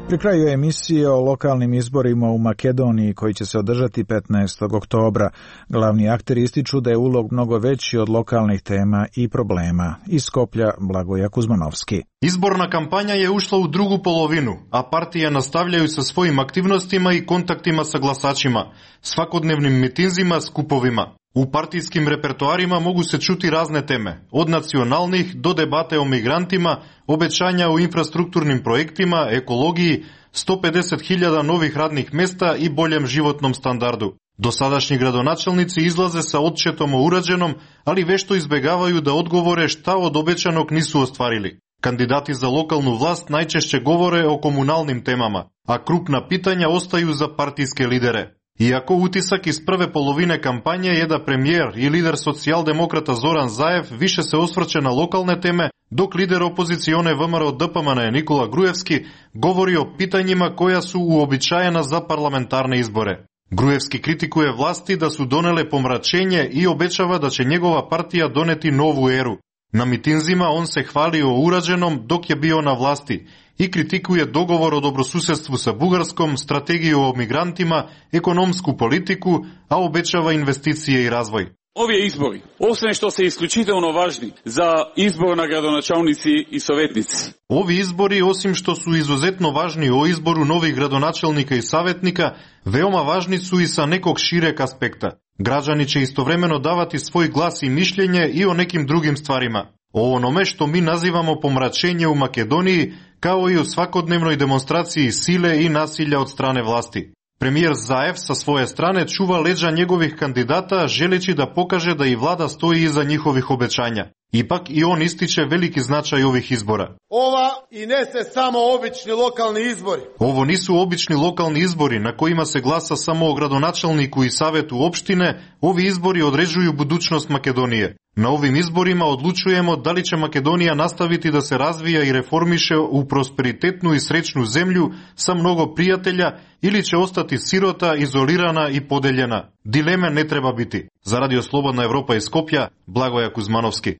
Pri kraju emisije o lokalnim izborima u Makedoniji koji će se održati petnaestog oktobra. Glavni akteri ističu da je ulog mnogo veći od lokalnih tema i problema. Iz Skoplja Blagoja Kuzmanovski. Izborna kampanja je ušla u drugu polovinu, a partije nastavljaju sa svojim aktivnostima i kontaktima sa glasačima, svakodnevnim mitinzima, skupovima. U partijskim repertoarima mogu se čuti razne teme, od nacionalnih do debate o migrantima, obećanja o infrastrukturnim projektima, ekologiji, sto pedeset hiljada novih radnih mjesta i boljem životnom standardu. Dosadašnji gradonačelnici izlaze sa odčetom o urađenom, ali vešto izbjegavaju da odgovore šta od obećanog nisu ostvarili. Kandidati za lokalnu vlast najčešće govore o komunalnim temama, a krupna pitanja ostaju za partijske lidere. Iako utisak iz prve polovine kampanje je da premijer i lider socijaldemokrata Zoran Zaev više se osvrće na lokalne teme, dok lider opozicione V M R O D P M N Nikola Grujevski govori o pitanjima koja su uobičajena za parlamentarne izbore. Grujevski kritikuje vlasti da su donele pomračenje i obećava da će njegova partija doneti novu eru. Na mitinzima on se hvali o urađenom dok je bio na vlasti i kritikuje dogovor o dobrosusjedstvu sa Bugarskom, strategiju o migrantima, ekonomsku politiku, a obećava investicije i razvoj. Ovi izbori, osim što se isključitelno važni za izbor na gradonačelnici i savjetnici. Ovi izbori, osim što su izuzetno važni o izboru novih gradonačelnika i savjetnika, veoma važni su i sa nekog šireg aspekta. Građani će istovremeno davati svoj glas i mišljenje i o nekim drugim stvarima. O onome što mi nazivamo pomračenje u Makedoniji, kao i o svakodnevnoj demonstraciji sile i nasilja od strane vlasti. Premijer Zaev sa svoje strane čuva leđa njegovih kandidata želeći da pokaže da i vlada stoji iza njihovih obećanja. Ipak i on ističe veliki značaj ovih izbora. Ova i ne se samo obični lokalni izbori. Ovo nisu obični lokalni izbori na kojima se glasa samo o gradonačelniku i savetu opštine, ovi izbori određuju budućnost Makedonije. Na ovim izborima odlučujemo da li će Makedonija nastaviti da se razvija i reformiše u prosperitetnu i srećnu zemlju sa mnogo prijatelja ili će ostati sirota, izolirana i podeljena. Dileme ne treba biti. Za Radio Slobodna Evropa iz Skopja, Blagoja Kuzmanovski.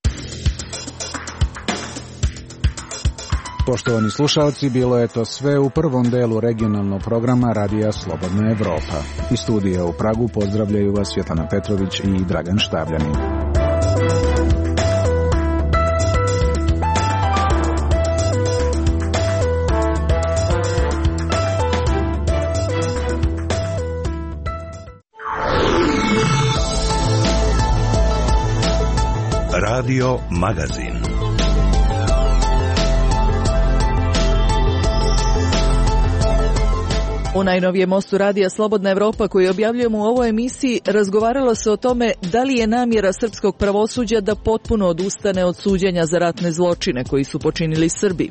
Poštovani slušalci, bilo je to sve u prvom delu regionalnog programa Radija Slobodna Evropa. Iz studija u Pragu pozdravljaju vas Svjetlana Petrović i Dragan Štavljanin. Radio Magazin. U najnovijem mostu Radija Slobodna Evropa koji objavljujemo u ovoj emisiji razgovaralo se o tome da li je namjera srpskog pravosuđa da potpuno odustane od suđenja za ratne zločine koji su počinili Srbi.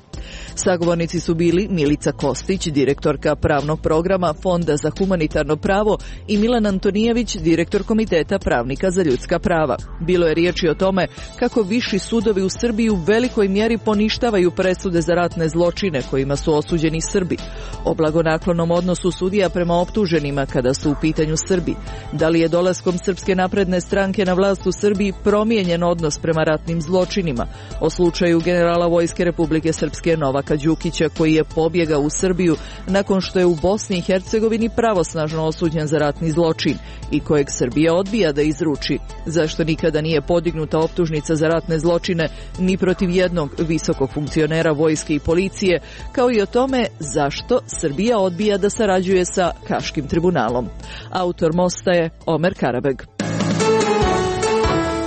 Sagovornici su bili Milica Kostić, direktorka pravnog programa Fonda za humanitarno pravo i Milan Antonijević, direktor Komiteta pravnika za ljudska prava. Bilo je riječi o tome kako viši sudovi u Srbiji u velikoj mjeri poništavaju presude za ratne zločine kojima su osuđeni Srbi. O blagonaklonom odnosu sudija prema optuženima kada su u pitanju Srbi. Da li je dolaskom Srpske napredne stranke na vlast u Srbiji promijenjen odnos prema ratnim zločinima? O slučaju generala Vojske Republike Srpske Novaka Đukića koji je pobjegao u Srbiju nakon što je u Bosni i Hercegovini pravosnažno osuđen za ratni zločin i kojeg Srbija odbija da izruči. Zašto nikada nije podignuta optužnica za ratne zločine ni protiv jednog visokog funkcionera vojske i policije, kao i o tome zašto Srbija odbija da sarađuje sa Haškim tribunalom. Autor mosta je Omer Karabeg.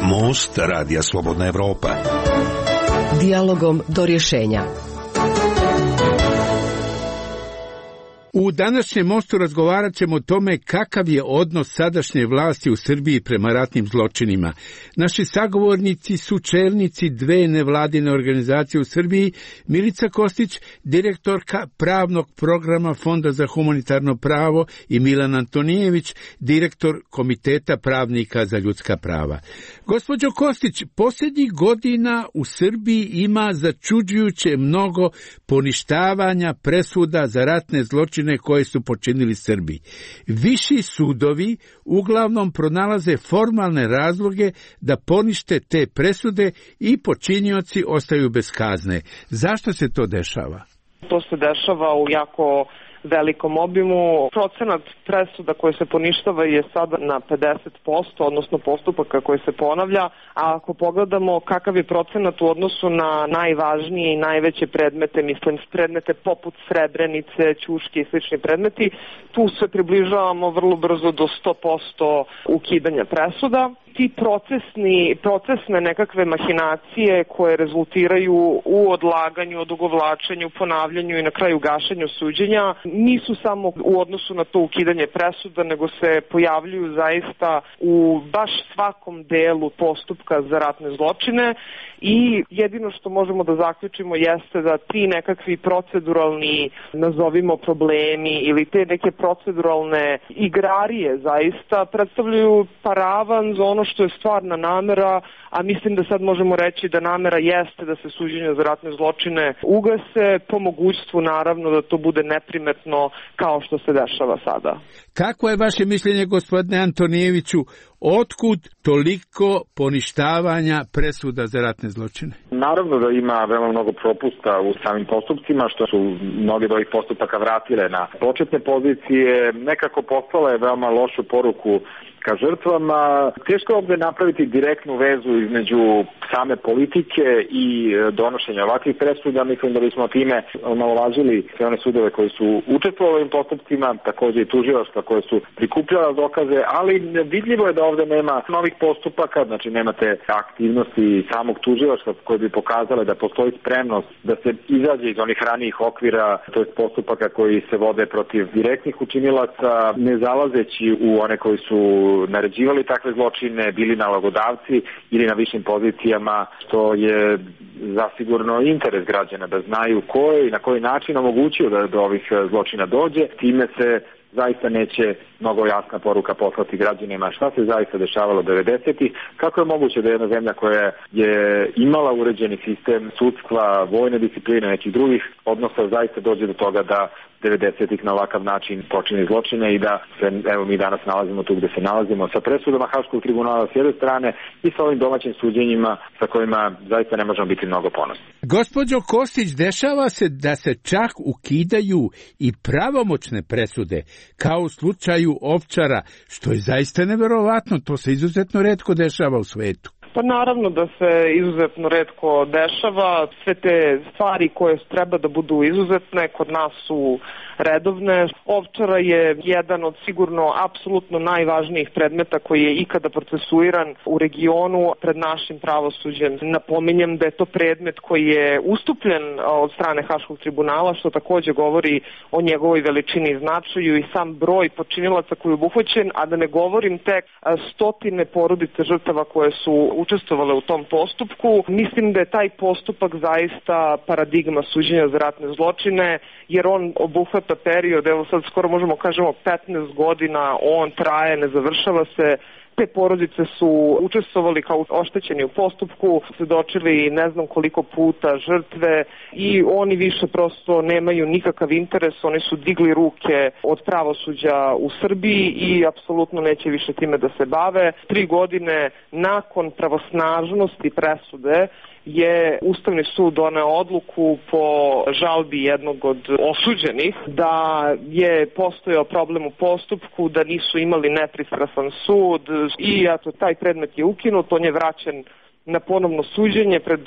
Most Radija Slobodna Evropa. Dijalogom do rješenja. U današnjem mostu razgovarat ćemo o tome kakav je odnos sadašnje vlasti u Srbiji prema ratnim zločinima. Naši sagovornici su čelnici dve nevladine organizacije u Srbiji, Milica Kostić, direktorka pravnog programa Fonda za humanitarno pravo i Milan Antonijević, direktor Komiteta pravnika za ljudska prava. Gospođo Kostić, posljednjih godina u Srbiji ima začuđujuće mnogo poništavanja presuda za ratne zločine koje su počinili Srbi. Viši sudovi uglavnom pronalaze formalne razloge da ponište te presude i počinioci ostaju bez kazne. Zašto se to dešava? To se dešava u jako velikom obimu. Procenat presuda koje se poništava je sada na pedeset posto, odnosno postupaka koje se ponavlja, a ako pogledamo kakav je procenat u odnosu na najvažnije i najveće predmete, mislim predmete poput Srebrenice, Ćuške i slični predmeti, tu se približavamo vrlo brzo do sto posto ukidanja presuda. Ti procesni, procesne nekakve mahinacije koje rezultiraju u odlaganju, odugovlačenju, ponavljanju i na kraju gašenju suđenja nisu samo u odnosu na to ukidanje presuda, nego se pojavljuju zaista u baš svakom delu postupka za ratne zločine i jedino što možemo da zaključimo jeste da ti nekakvi proceduralni, nazovimo problemi ili te neke proceduralne igrarije zaista predstavljaju paravan za ono što je stvarna namera, a mislim da sad možemo reći da namera jeste da se suđenja za ratne zločine ugase, po mogućstvu naravno da to bude neprimetno kao što se dešava sada. Kako je vaše mišljenje, gospodine Antonijeviću, otkud toliko poništavanja presuda za ratne zločine? Naravno da ima veoma mnogo propusta u samim postupcima, što su mnoge od ovih postupaka vratile na početne pozicije, nekako poslale veoma lošu poruku ka žrtvama. Teško je ovdje napraviti direktnu vezu između same politike i donošenja ovakvih presuda. Mislim da bismo time omalovažili sve one sudove koji su učestvovali u ovim postupcima, također i tužilaštva koje su prikupljala dokaze, ali vidljivo je da ovdje nema novih postupaka, znači nemate aktivnosti samog tužilaštva koje bi pokazale da postoji spremnost da se izađe iz onih ranijih okvira, to je postupaka koji se vode protiv direktnih učinilaca, ne zalazeći u one koji su naređivali takve zločine, bili nalogodavci ili na višim pozicijama, što je zasigurno interes građana da znaju ko je i na koji način omogućio da do ovih zločina dođe. Time se zaista neće mnogo jasna poruka poslati građanima šta se zaista dešavalo devedesetih, kako je moguće da jedna zemlja koja je imala uređeni sistem sudstva, vojne discipline, nekih drugih odnosa, zaista dođe do toga da devedesetih na ovakav način počini zločine i da se, evo mi danas nalazimo tu gde se nalazimo sa presudama Haškog tribunala s jedne strane i sa ovim domaćim suđenjima sa kojima zaista ne možemo biti mnogo ponosni. Gospođo Kostić, dešava se da se čak ukidaju i pravomoćne presude, kao u slučaju Ovčara, što je zaista neverovatno, to se izuzetno retko dešava u svetu. Pa naravno da se izuzetno retko dešava, sve te stvari koje treba da budu izuzetne kod nas su redovne. Ovčara je jedan od sigurno apsolutno najvažnijih predmeta koji je ikada procesuiran u regionu pred našim pravosuđem. Napominjem da je to predmet koji je ustupljen od strane Haškog tribunala, što takođe govori o njegovoj veličini i značaju i sam broj počinilaca koji je obuhvaćen, a da ne govorim tek stotine porodice žrtava koje su učestvovale u tom postupku. Mislim da je taj postupak zaista paradigma suđenja za ratne zločine, jer on obuhvata period, evo sad skoro možemo kažemo petnaest godina, on traje, ne završava se. Te porodice su učestvovali kao oštećeni u postupku, svedočili ne znam koliko puta žrtve i oni više prosto nemaju nikakav interes, oni su digli ruke od pravosuđa u Srbiji i apsolutno neće više time da se bave. Tri godine nakon pravosnažnosti presude je Ustavni sud doneo odluku po žalbi jednog od osuđenih da je postojao problem u postupku, da nisu imali nepristrasan sud i eto, taj predmet je ukinut, on je vraćen na ponovno suđenje pred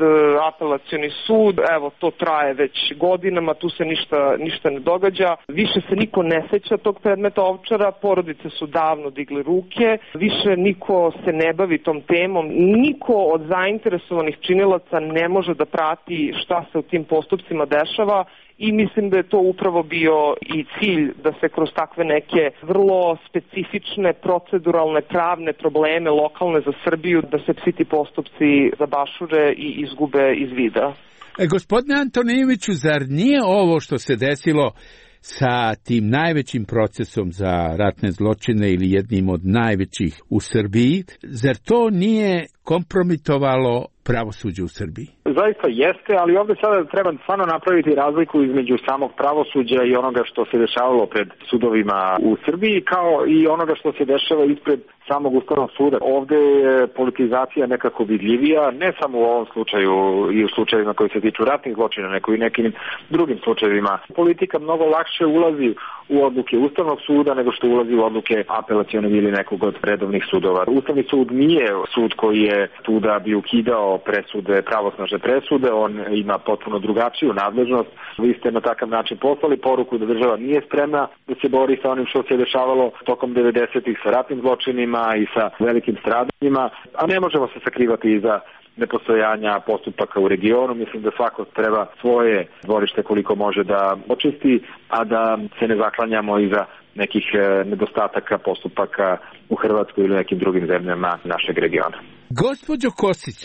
apelacioni sud. Evo, to traje već godinama, tu se ništa, ništa ne događa. Više se niko ne seća tog predmeta Ovčara, porodice su davno digli ruke, više niko se ne bavi tom temom, niko od zainteresovanih činilaca ne može da prati šta se u tim postupcima dešava. I mislim da je to upravo bio i cilj da se kroz takve neke vrlo specifične, proceduralne, pravne probleme lokalne za Srbiju, da se svi ti postupci zabašure i izgube iz vida. E, gospodine Antonijeviću, zar nije ovo što se desilo sa tim najvećim procesom za ratne zločine ili jednim od najvećih u Srbiji, zar to nije kompromitovalo pravosuđe u Srbiji? Zaista jeste, ali ovde sada treba stvarno napraviti razliku između samog pravosuđa i onoga što se dešavalo pred sudovima u Srbiji, kao i onoga što se dešava ispred samog Ustavnog suda. Ovde je politizacija nekako vidljivija, ne samo u ovom slučaju i u slučajevima koji se tiču ratnih zločina, nego i nekim drugim slučajevima. Politika mnogo lakše ulazi u odluke Ustavnog suda nego što ulazi u odluke apelacionog ili nekog od redovnih sudova. Ustavni sud nije sud koji je tu da bi ukidao presude, pravosnažne presude, on ima potpuno drugačiju nadležnost. Vi ste na takav način poslali poruku da država nije spremna da se bori sa onim što se dešavalo tokom devedesetih sa ratnim zločinima i sa velikim stradanjima, a ne možemo se sakrivati iza nepostojanja postupaka u regionu. Mislim da svako treba svoje dvorište koliko može da očisti, a da se ne zaklanjamo iza nekih nedostataka postupaka u Hrvatskoj ili nekim drugim zemljama našeg regiona. Gospođo Kostić,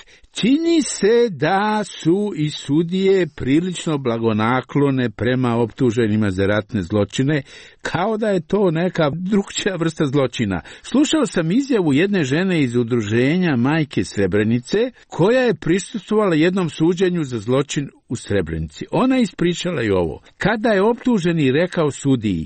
čini se da su i sudije prilično blagonaklone prema optuženima za ratne zločine, kao da je to neka drugčija vrsta zločina. Slušao sam izjavu jedne žene iz udruženja Majke Srebrenice, koja je prisustvovala jednom suđenju za zločin u Srebrenici. Ona ispričala i ovo. Kada je optuženi rekao sudiji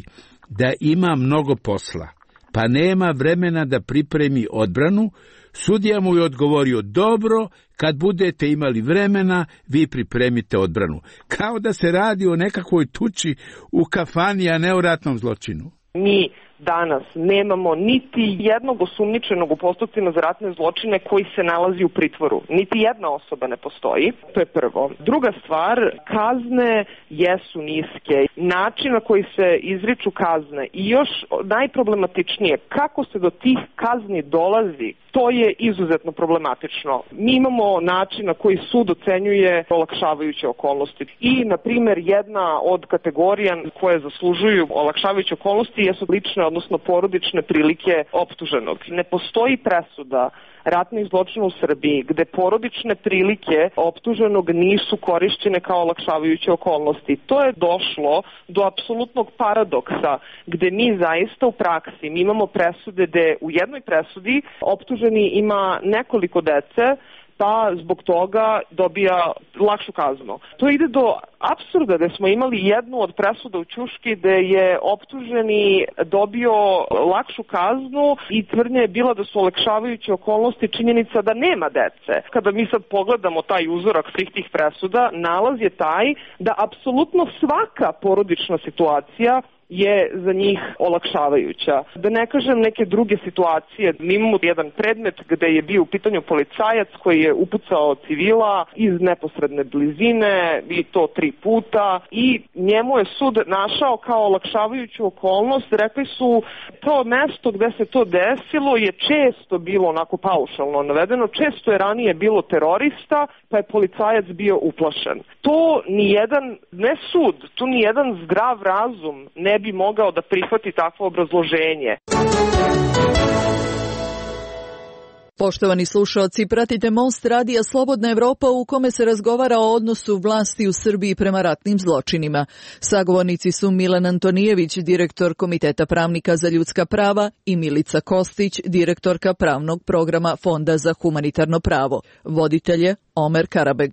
da ima mnogo posla, pa nema vremena da pripremi odbranu, sudija mu je odgovorio: dobro, kad budete imali vremena, vi pripremite odbranu. Kao da se radi o nekakvoj tuči u kafani, a ne o ratnom zločinu. Mi danas nemamo niti jednog osumnjičenog u postupcima za ratne zločine koji se nalazi u pritvoru. Niti jedna osoba ne postoji. To je prvo. Druga stvar, kazne jesu niske. Način na koji se izriču kazne i još najproblematičnije, kako se do tih kazni dolazi, to je izuzetno problematično. Mi imamo način na koji sud ocenjuje olakšavajuće okolnosti. I, na primjer, jedna od kategorija koje zaslužuju olakšavajuće okolnosti jesu lične, odnosno porodične prilike optuženog. Ne postoji presuda ratnih zločina u Srbiji gde porodične prilike optuženog nisu korišćene kao olakšavajuće okolnosti. To je došlo do apsolutnog paradoksa gde mi zaista u praksi mi imamo presude gde u jednoj presudi optuženi ima nekoliko dece, pa zbog toga dobija lakšu kaznu. To ide do apsurda da smo imali jednu od presuda u Ćuški gde je optuženi dobio lakšu kaznu i tvrdnja je bila da su olakšavajuće okolnosti činjenica da nema dece. Kada mi sad pogledamo taj uzorak svih tih presuda, nalaz je taj da apsolutno svaka porodična situacija je za njih olakšavajuća. Da ne kažem neke druge situacije. Mi imamo jedan predmet gde je bio u pitanju policajac koji je upucao civila iz neposredne blizine i to tri puta i njemu je sud našao kao olakšavajuću okolnost. Rekli su to mesto gde se to desilo je često bilo onako paušalno navedeno. Često je ranije bilo terorista pa je policajac bio uplašen. To nijedan, ne sud, tu nijedan zdrav razum ne bi mogao da prihvati takvo obrazloženje. Poštovani slušaoci, pratite Most radija Slobodna Evropa u kome se razgovara o odnosu vlasti u Srbiji prema ratnim zločinima. Sagovornici su Milan Antonijević, direktor Komiteta pravnika za ljudska prava i Milica Kostić, direktorka pravnog programa Fonda za humanitarno pravo. Voditelj je Omer Karabeg.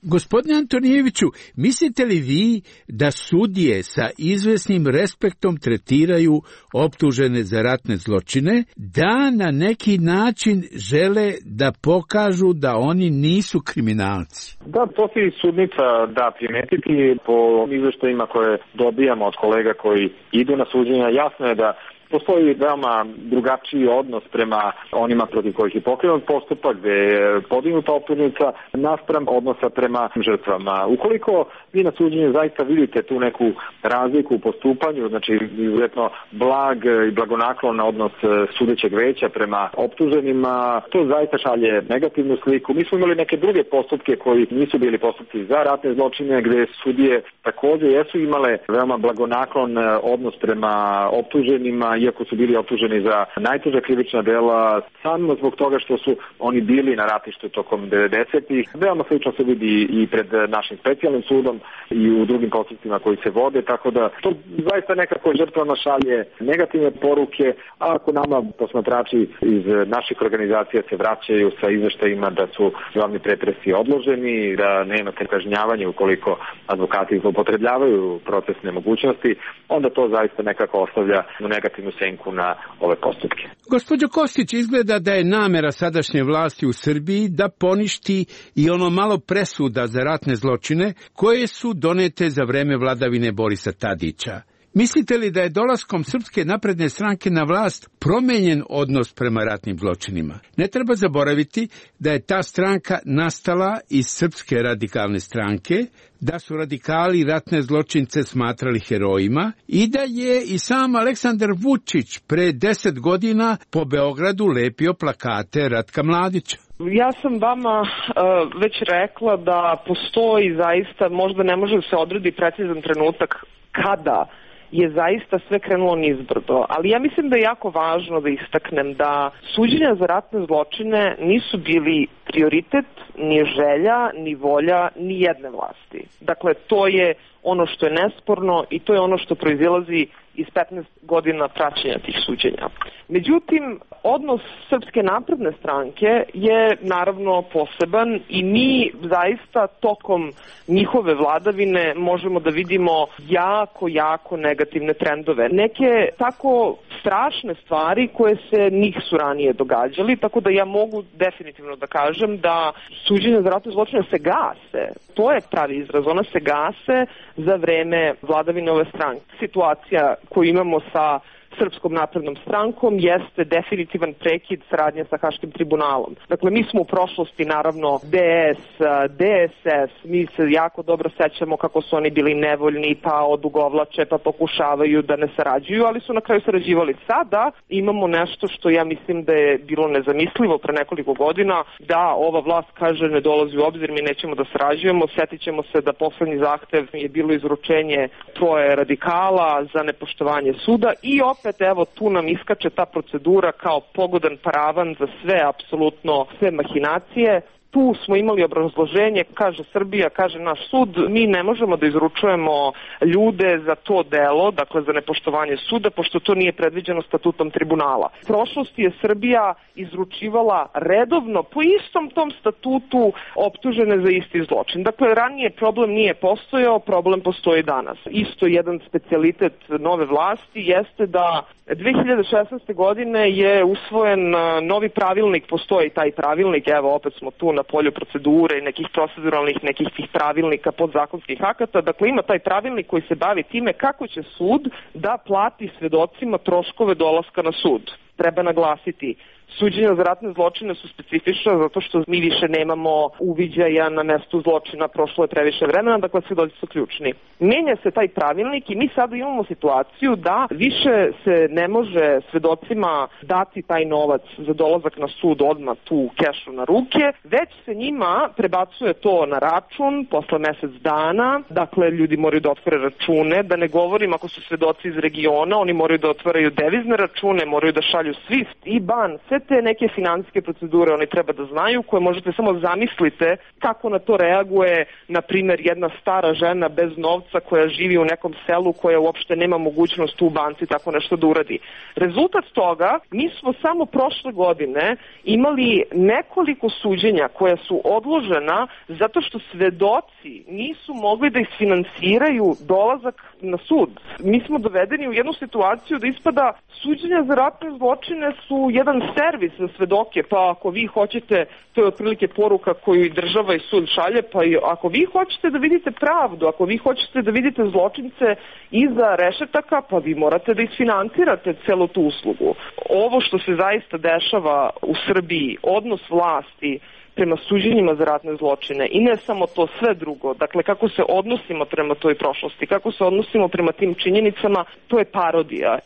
Gospodine Antonijeviću, mislite li vi da sudije sa izvesnim respektom tretiraju optužene za ratne zločine, da na neki način žele da pokažu da oni nisu kriminalci? Da, to si sudnica da primetiti po izveštajima koje dobijamo od kolega koji idu na suđenja. Jasno je da postoji veoma drugačiji odnos prema onima protiv kojih je pokrenut postupak, gde je podignuta optužnica naspram odnosa prema žrtvama. Ukoliko vi na suđenju zaista vidite tu neku razliku u postupanju, znači izuzetno blag i blagonaklon odnos sudećeg veća prema optuženima, to zaista šalje negativnu sliku. Mi smo imali neke druge postupke koji nisu bili postupci za ratne zločine, gde sudije takođe jesu imale veoma blagonaklon odnos prema optuženima, iako su bili optuženi za najteža krivična dela, samo zbog toga što su oni bili na ratištu tokom devedesetih. Veoma slično se vidi i pred našim specijalnim sudom i u drugim postupcima koji se vode, tako da to zaista nekako žrtvama šalje negativne poruke, a ako nama posmatrači iz naših organizacija se vraćaju sa izveštajima da su glavni pretresi odloženi, da nema kažnjavanja ukoliko advokati zloupotrebljavaju procesne mogućnosti, onda to zaista nekako ostavlja negativnu senku na ove postupke. Gospođo Kostić, izgleda da je namera sadašnje vlasti u Srbiji da poništi i ono malo presuda za ratne zločine koje su donete za vreme vladavine Borisa Tadića. Mislite li da je dolaskom Srpske napredne stranke na vlast promenjen odnos prema ratnim zločinima? Ne treba zaboraviti da je ta stranka nastala iz Srpske radikalne stranke, da su radikali ratne zločince smatrali herojima i da je i sam Aleksandar Vučić pre deset godina po Beogradu lepio plakate Ratka Mladića. Ja sam vama uh, već rekla da postoji zaista, možda ne može se odredi precizan trenutak kada je zaista sve krenulo nizbrdo, ali ja mislim da je jako važno da istaknem da suđenja za ratne zločine nisu bili prioritet, ni želja, ni volja, ni jedne vlasti. Dakle, to je ono što je nesporno i to je ono što proizilazi iz petnaest godina praćenja tih suđenja. Međutim, odnos Srpske napredne stranke je naravno poseban i mi zaista tokom njihove vladavine možemo da vidimo jako, jako negativne trendove. Neke tako strašne stvari koje se nisu ranije događali, tako da ja mogu definitivno da kažem da suđenja za ratne zločine se gase. To je pravi izraz, ona se gase za vreme vladavine ove stranke. Situacija koju imamo sa Srpskom naprednom strankom jeste definitivan prekid saradnje sa Haškim tribunalom. Dakle, mi smo u prošlosti, naravno, D S, D S S, mi se jako dobro sećamo kako su oni bili nevoljni, pa odugovlače, pa pokušavaju da ne sarađuju, ali su na kraju sarađivali. Sada imamo nešto što ja mislim da je bilo nezamislivo pre nekoliko godina, da ova vlast kaže ne dolazi u obzir, mi nećemo da sarađujemo, setit ćemo se da poslednji zahtev je bilo izručenje troje radikala za nepoštovanje suda i opet evo tu nam iskače ta procedura kao pogodan paravan za sve, apsolutno sve mahinacije. Tu smo imali obrazloženje, kaže Srbija, kaže naš sud, mi ne možemo da izručujemo ljude za to delo, dakle za nepoštovanje suda, pošto to nije predviđeno statutom tribunala. U prošlosti je Srbija izručivala redovno po istom tom statutu optužene za isti zločin. Dakle, ranije problem nije postojao, problem postoji danas. Isto jedan specijalitet nove vlasti jeste da dve hiljade šesnaeste. godine je usvojen novi pravilnik, postoji taj pravilnik, evo opet smo tu na polju procedure i nekih proceduralnih, nekih tih pravilnika podzakonskih akata, dakle ima taj pravilnik koji se bavi time kako će sud da plati svedocima troškove dolaska na sud. Treba naglasiti, suđenja za ratne zločine su specifična zato što mi više nemamo uviđaja na mestu zločina, prošlo je previše vremena, dakle svedoci su ključni. Menja se taj pravilnik i mi sada imamo situaciju da više se ne može svedocima dati taj novac za dolazak na sud odmah tu kešu na ruke, već se njima prebacuje to na račun posle mesec dana, dakle ljudi moraju da otvore račune, da ne govorim ako su svedoci iz regiona, oni moraju da otvaraju devizne račune, moraju da šalju Swift, I B A N, sve te neke finansijske procedure oni treba da znaju, koje možete samo zamislite kako na to reaguje, na primjer, jedna stara žena bez novca koja živi u nekom selu koja uopšte nema mogućnost u banci tako nešto da uradi. Rezultat toga, mi smo samo prošle godine imali nekoliko suđenja koja su odložena zato što svedoci nisu mogli da isfinansiraju dolazak na sud. Mi smo dovedeni u jednu situaciju da ispada suđenja za ratne zločine su jedan servis za svedoke, pa ako vi hoćete, to je otprilike poruka koju i država i sud šalje, pa i ako vi hoćete da vidite pravdu, ako vi hoćete da vidite zločince iza rešetaka, pa vi morate da isfinansirate celu tu uslugu. Ovo što se zaista dešava u Srbiji, odnos vlasti prema suđenjima za ratne zločine i ne samo to, sve drugo, dakle kako se odnosimo prema toj prošlosti, kako se odnosimo prema tim činjenicama, to je parodija.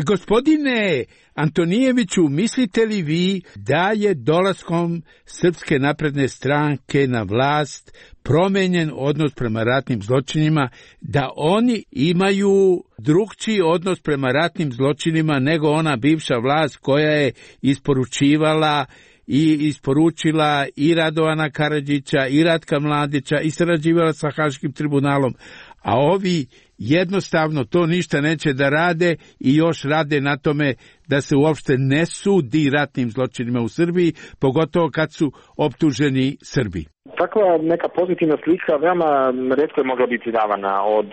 Gospodine Antonijeviću, mislite li vi da je dolaskom Srpske napredne stranke na vlast promenjen odnos prema ratnim zločinima, da oni imaju drugčiji odnos prema ratnim zločinima nego ona bivša vlast koja je isporučivala i isporučila i Radovana Karadžića i Ratka Mladića i sarađivala sa Haškim tribunalom, a ovi jednostavno to ništa neće da rade i još rade na tome da se uopšte ne sudi ratnim zločinima u Srbiji, pogotovo kad su optuženi Srbi. Takva neka pozitivna slika veoma retko je mogla biti davana od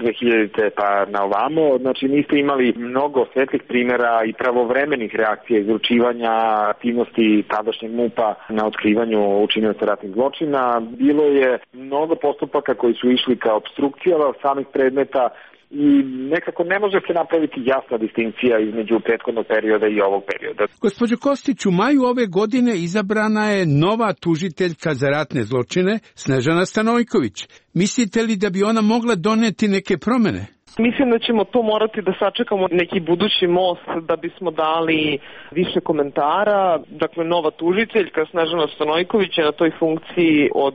dve hiljadite pa na ovamo. Znači niste imali mnogo svetlih primjera i pravovremenih reakcija izručivanja aktivnosti tadašnjeg MUP-a na otkrivanju učinioca ratnih zločina. Bilo je mnogo postupaka koji su išli kao obstrukcija samih predmeta i nekako ne može se napraviti jasna distinkcija između prethodnog perioda i ovog perioda. Gospođo Kostić, u maju ove godine izabrana je nova tužiteljka za ratne zločine, Snežana Stanojković. Mislite li da bi ona mogla doneti neke promene? Mislim da ćemo to morati da sačekamo neki budući most da bismo dali više komentara. Dakle, nova tužiteljka Snežana Stanojković je na toj funkciji od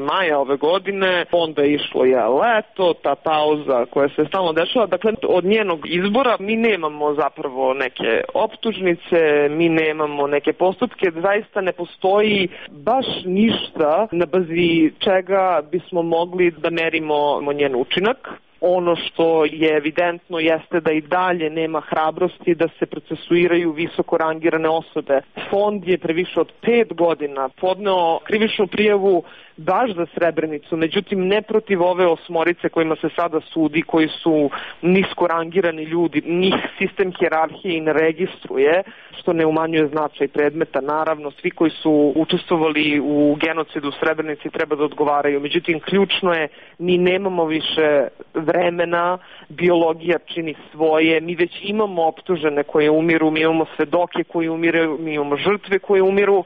maja ove godine. Onda je išlo je leto, ta pauza koja se stalno dešava. Dakle, od njenog izbora mi nemamo zapravo neke optužnice, mi nemamo neke postupke. Zaista ne postoji baš ništa na bazi čega bismo mogli da merimo njen učinak. Ono što je evidentno jeste da i dalje nema hrabrosti da se procesuiraju visoko rangirane osobe. Fond je pre više od pet godina podneo krivičnu prijavu baš za Srebrenicu, međutim ne protiv ove osmorice kojima se sada sudi, koji su nisko rangirani ljudi, njih sistem hijerarhije i ne registruje, što ne umanjuje značaj predmeta. Naravno, svi koji su učestvovali u genocidu u Srebrenici treba da odgovaraju, međutim ključno je, mi nemamo više vremena, biologija čini svoje, mi već imamo optužene koje umiru, mi imamo svedoke koji umiru, mi imamo žrtve koje umiru,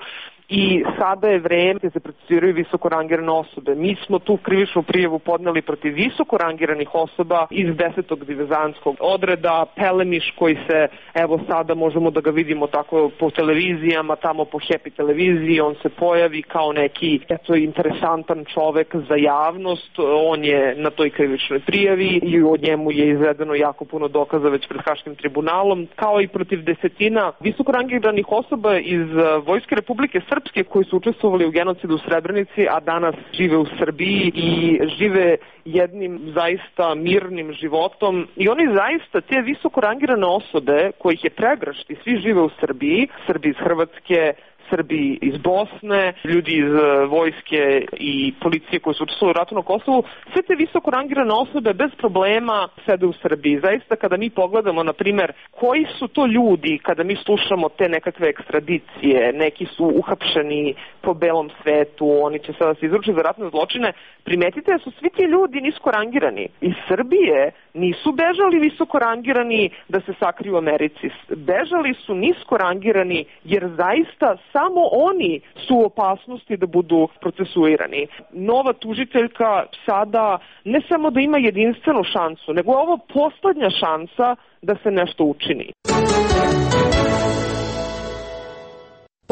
i sada je vreme da se procesuiraju visoko rangirane osobe. Mi smo tu krivičnu prijavu podneli protiv visoko rangiranih osoba iz desetog divizanskog odreda, Pelemiš koji se, evo sada možemo da ga vidimo tako po televizijama, tamo po Happy televiziji, on se pojavi kao neki eto, interesantan čovek za javnost, on je na toj krivičnoj prijavi i od njemu je izvedeno jako puno dokaza već pred Haškim tribunalom, kao i protiv desetina visoko rangiranih osoba iz Vojske Republike Srbije srpske koji su učestvovali u genocidu u Srebrenici, a danas žive u Srbiji i žive jednim zaista mirnim životom. I oni zaista, te visoko rangirane osobe, kojih je pregršt i svi žive u Srbiji, Srbi iz Hrvatske, Srbi iz Bosne, ljudi iz vojske i policije koji su učestvovali u ratu na Kosovu, sve te visoko rangirane osobe bez problema sede u Srbiji. Zaista kada mi pogledamo, na primjer, koji su to ljudi, kada mi slušamo te nekakve ekstradicije, neki su uhapšeni po belom svetu, oni će sada se izručiti za ratne zločine, primetite da su svi ti ljudi nisko rangirani. Iz Srbije nisu bežali visoko rangirani da se sakriju u Americi. Bežali su nisko rangirani jer zaista samo oni su u opasnosti da budu procesuirani. Nova tužiteljka sada ne samo da ima jedinstvenu šansu, nego je ovo poslednja šansa da se nešto učini.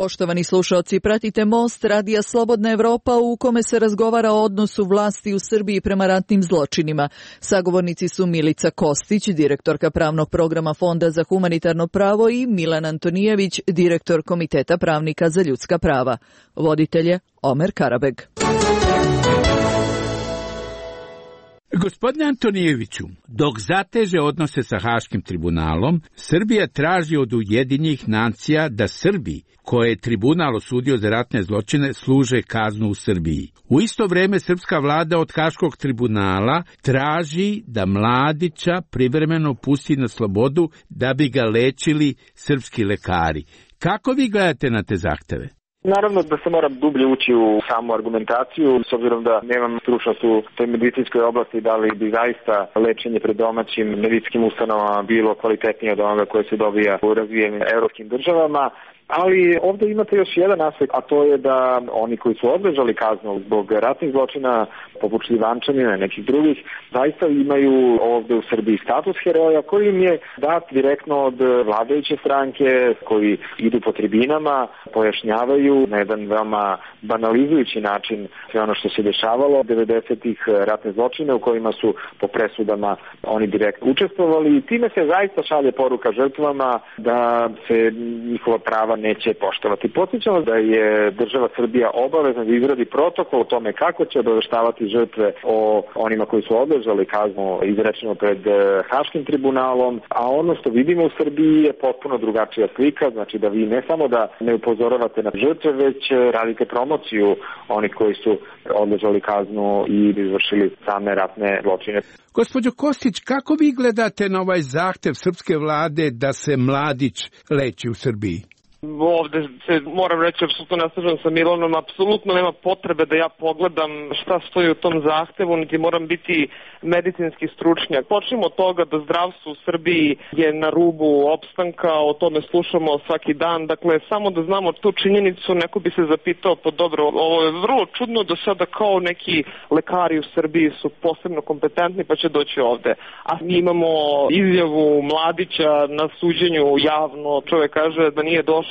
Poštovani slušaoci, pratite Most Radija Slobodna Evropa u kome se razgovara o odnosu vlasti u Srbiji prema ratnim zločinima. Sagovornici su Milica Kostić, direktorka pravnog programa Fonda za humanitarno pravo i Milan Antonijević, direktor Komiteta pravnika za ljudska prava. Voditelj je Omer Karabeg. Gospodine Antonijeviću, dok zateže odnose sa Haškim tribunalom, Srbija traži od Ujedinjenih nacija da Srbi, koje je tribunal osudio za ratne zločine, služe kaznu u Srbiji. U isto vrijeme srpska vlada od Haškog tribunala traži da Mladića privremeno pusti na slobodu da bi ga lečili srpski lekari. Kako vi gledate na te zahteve? Naravno da se moram dublje ući u samu argumentaciju, s obzirom da nemam stručnost u toj medicinskoj oblasti, da li bi zaista lečenje pred domaćim medicinskim ustanovama bilo kvalitetnije od onoga koje se dobija u razvijenim evropskim državama. Ali ovdje imate još jedan aspekt, a to je da oni koji su odležali kaznu zbog ratnih zločina, poput Šljivančanina i nekih drugih, zaista imaju ovdje u Srbiji status heroja koji im je dat direktno od vladajuće stranke, koji idu po tribinama, pojašnjavaju na jedan veoma banalizujući način sve ono što se dešavalo devedesetih ratne zločine u kojima su po presudama oni direktno učestvovali i time se zaista šalje poruka žrtvama da se njihova prava neće poštovati. Podsjećamo da je država Srbija obavezna da izradi protokol o tome kako će obaveštavati žrtve o onima koji su odležali kaznu izrečeno pred Haškim tribunalom, a ono što vidimo u Srbiji je potpuno drugačija slika, znači da vi ne samo da ne upozoravate na žrtve, već radite promociju onih koji su odležali kaznu i izvršili same ratne zločine. Gospođo Kostić, kako vi gledate na ovaj zahtev srpske vlade da se Mladić leči u Srbiji? Ovde se moram reći, apsolutno ne slažem sa Milanom, apsolutno nema potrebe da ja pogledam šta stoji u tom zahtevu, niti moram biti medicinski stručnjak. Počnemo od toga da zdravstvo u Srbiji je na rubu opstanka, o tome slušamo svaki dan, dakle samo da znamo tu činjenicu, neko bi se zapitao, pa dobro, ovo je vrlo čudno da sada kao neki lekari u Srbiji su posebno kompetentni pa će doći ovde. A mi imamo izjavu Mladića na suđenju javno, čovjek kaže da nije došao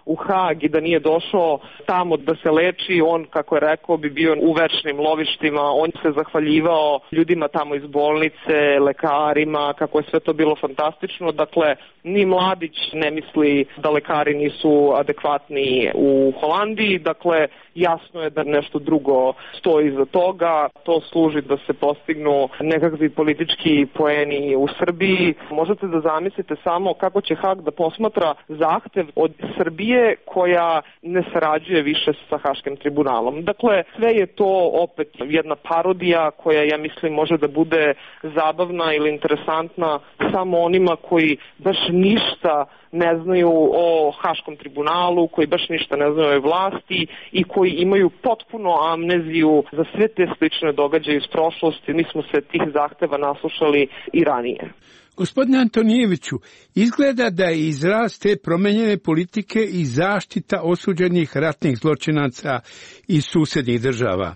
u Hag i da nije došao tamo da se leči, on, kako je rekao, bi bio u večnim lovištima, on se zahvaljivao ljudima tamo iz bolnice, lekarima, kako je sve to bilo fantastično. Dakle, ni Mladić ne misli da lekari nisu adekvatni u Holandiji, dakle, jasno je da nešto drugo stoji iza toga, to služi da se postignu nekakvi politički poeni u Srbiji. Možete da zamislite samo kako će Hag da posmatra zahtev od Srbije koja ne sarađuje više sa Haškim tribunalom. Dakle, sve je to opet jedna parodija koja, ja mislim, može da bude zabavna ili interesantna samo onima koji baš ništa ne znaju o Haškom tribunalu, koji baš ništa ne znaju o vlasti i koji imaju potpuno amneziju za sve te slične događaje iz prošlosti. Mi smo se tih zahteva naslušali i ranije. Gospodine Antonijeviću, izgleda da je izraz te promenjene politike i zaštita osuđenih ratnih zločinaca iz susednih država.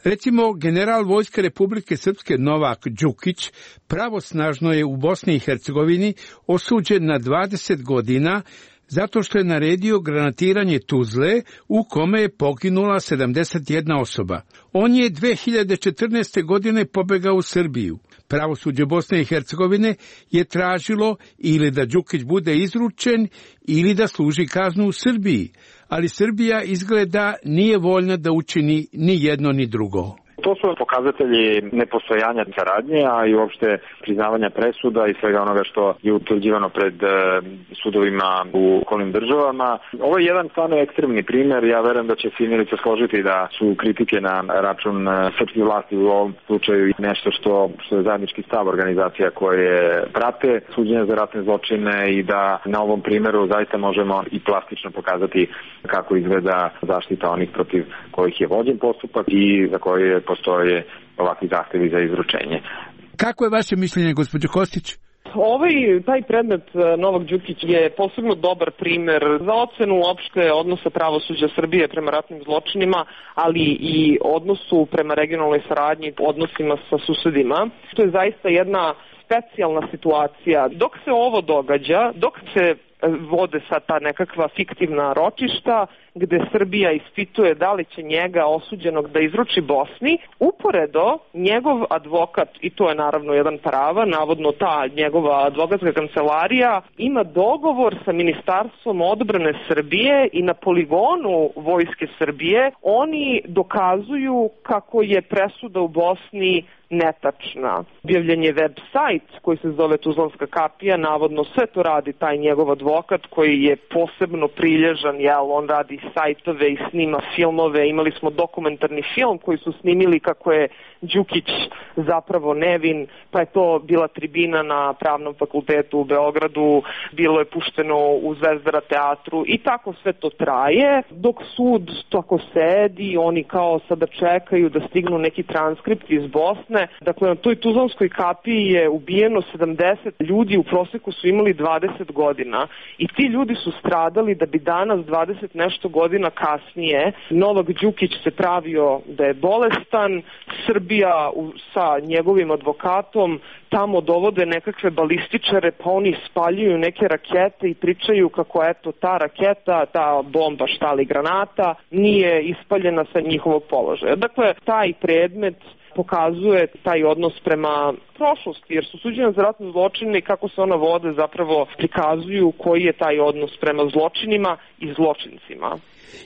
Recimo, general Vojske Republike Srpske Novak Đukić pravosnažno je u Bosni i Hercegovini osuđen na dvadeset godina zato što je naredio granatiranje Tuzle u kome je poginula sedamdeset jedna osoba. On je dve hiljade četrnaeste. godine pobegao u Srbiju. Pravosuđe Bosne i Hercegovine je tražilo ili da Đukić bude izručen ili da služi kaznu u Srbiji, ali Srbija izgleda nije voljna da učini ni jedno ni drugo. To su pokazatelji nepostojanja saradnje, a i uopšte priznavanja presuda i svega onoga što je utvrđivano pred sudovima u okolnim državama. Ovo je jedan stvarno ekstremni primer. Ja verujem da će svi Milica složiti da su kritike na račun srpskih vlasti u ovom slučaju nešto što, što je zajednički stav organizacija koje prate suđenje za ratne zločine i da na ovom primeru zaista možemo i plastično pokazati kako izgleda zaštita onih protiv kojih je vođen postupak i za koje je postoje ovakvi zahtevi za izručenje. Kako je vaše mišljenje, gospođo Kostić? Ovaj, taj predmet Novak Đukić je posebno dobar primer za ocenu uopšte odnosa pravosuđa Srbije prema ratnim zločinima, ali i odnosu prema regionalnoj saradnji, odnosima sa susedima. To je zaista jedna specijalna situacija. Dok se ovo događa, dok se vode sad ta nekakva fiktivna ročišta gde Srbija ispituje da li će njega osuđenog da izruči Bosni, uporedo njegov advokat, i to je naravno jedan prava, navodno ta njegova advokatska kancelarija ima dogovor sa Ministarstvom odbrane Srbije i na poligonu Vojske Srbije oni dokazuju kako je presuda u Bosni netačna. Objavljen je web sajt koji se zove Tuzlanska kapija, navodno sve to radi taj njegov advokat koji je posebno prilježan, jel, on radi sajtove i snima filmove. Imali smo dokumentarni film koji su snimili kako je Đukić zapravo nevin, pa je to bila tribina na Pravnom fakultetu u Beogradu, bilo je pušteno u Zvezdara teatru i tako sve to traje, dok sud tako sedi, oni kao sada čekaju da stignu neki transkript iz Bosne. Dakle, na toj Tuzlanskoj kapiji je ubijeno sedamdeset ljudi, u proseku su imali dvadeset godina i ti ljudi su stradali da bi danas dvadeset nešto godina kasnije Novak Đukić se pravio da je bolestan, Srbija sa njegovim advokatom tamo dovode nekakve balističare, pa oni spaljuju neke rakete i pričaju kako eto ta raketa, ta bomba, šta li granata, nije ispaljena sa njihovog položaja. Dakle, taj predmet pokazuje taj odnos prema prošlosti, jer su suđenja za ratne zločine i kako se ona vode zapravo prikazuju koji je taj odnos prema zločinima i zločincima.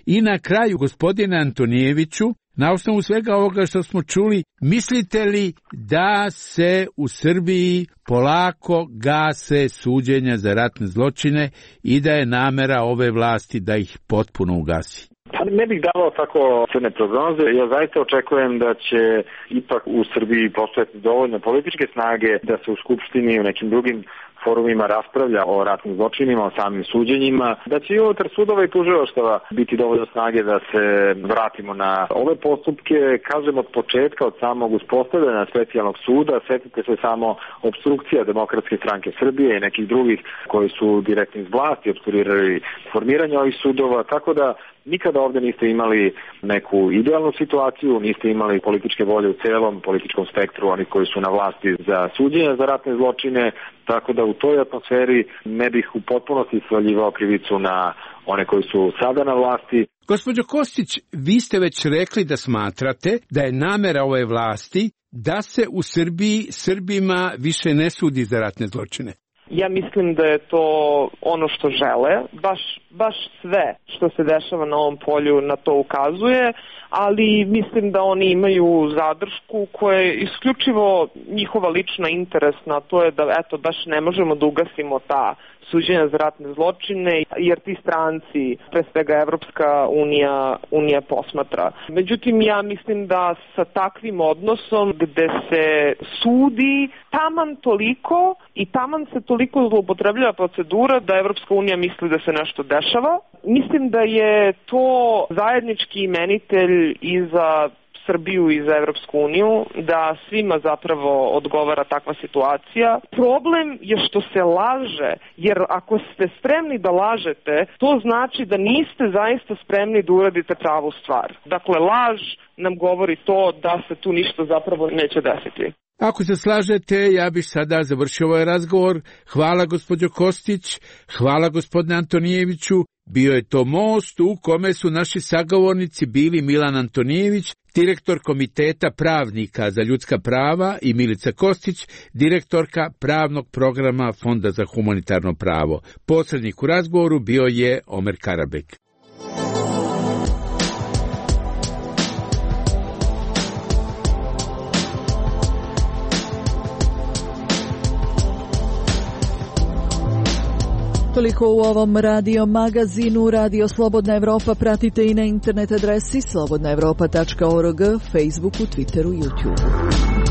I na kraju, gospodine Antonijeviću, na osnovu svega ovoga što smo čuli, mislite li da se u Srbiji polako gase suđenja za ratne zločine i da je namera ove vlasti da ih potpuno ugasi? Ne bih davao tako crne prognoze. Ja zaista očekujem da će ipak u Srbiji postojati dovoljno političke snage da se u Skupštini i u nekim drugim forumima raspravlja o ratnim zločinima, o samim suđenjima, da će i unutar sudova i tužilaštava biti dovoljno snage da se vratimo na ove postupke. Kažem od početka, od samog uspostavljanja specijalnog suda, setite se samo obstrukcija Demokratske stranke Srbije i nekih drugih koji su direktno iz vlasti obstruirali formiranje ovih sudova, tako da nikada ovde niste imali neku idealnu situaciju, niste imali političke volje u celom političkom spektru, oni koji su na vlasti za suđenje za ratne zločine, tako da u toj atmosferi ne bih u potpunosti svaljivao krivicu na one koji su sada na vlasti. Gospođo Kostić, vi ste već rekli da smatrate da je namera ove vlasti da se u Srbiji Srbima više ne sudi za ratne zločine. Ja mislim da je to ono što žele, baš, baš sve što se dešava na ovom polju na to ukazuje, ali mislim da oni imaju zadršku koja je isključivo njihova lična interesna, to je da eto baš ne možemo da ugasimo ta suđenja za ratne zločine, jer ti stranci, pre svega Evropska unija, unija posmatra. Međutim, ja mislim da sa takvim odnosom gde se sudi taman toliko i taman se toliko zloupotrebljava procedura da Evropska unija misli da se nešto dešava. Mislim da je to zajednički imenitelj i za Srbiju i za Evropsku uniju, da svima zapravo odgovara takva situacija. Problem je što se laže, jer ako ste spremni da lažete, to znači da niste zaista spremni da uradite pravu stvar. Dakle, laž nam govori to da se tu ništa zapravo neće desiti. Ako se slažete, ja bih sada završio ovaj razgovor. Hvala gospođo Kostić, hvala gospodine Antonijeviću. Bio je to most u kome su naši sagovornici bili Milan Antonijević, direktor Komiteta pravnika za ljudska prava, i Milica Kostić, direktorka pravnog programa Fonda za humanitarno pravo. Posrednik u razgovoru bio je Omer Karabek. Toliko u ovom radio magazinu. Radio Slobodna Evropa pratite i na internet adresi slobodna evropa tačka org, Facebooku, Twitteru, YouTubeu.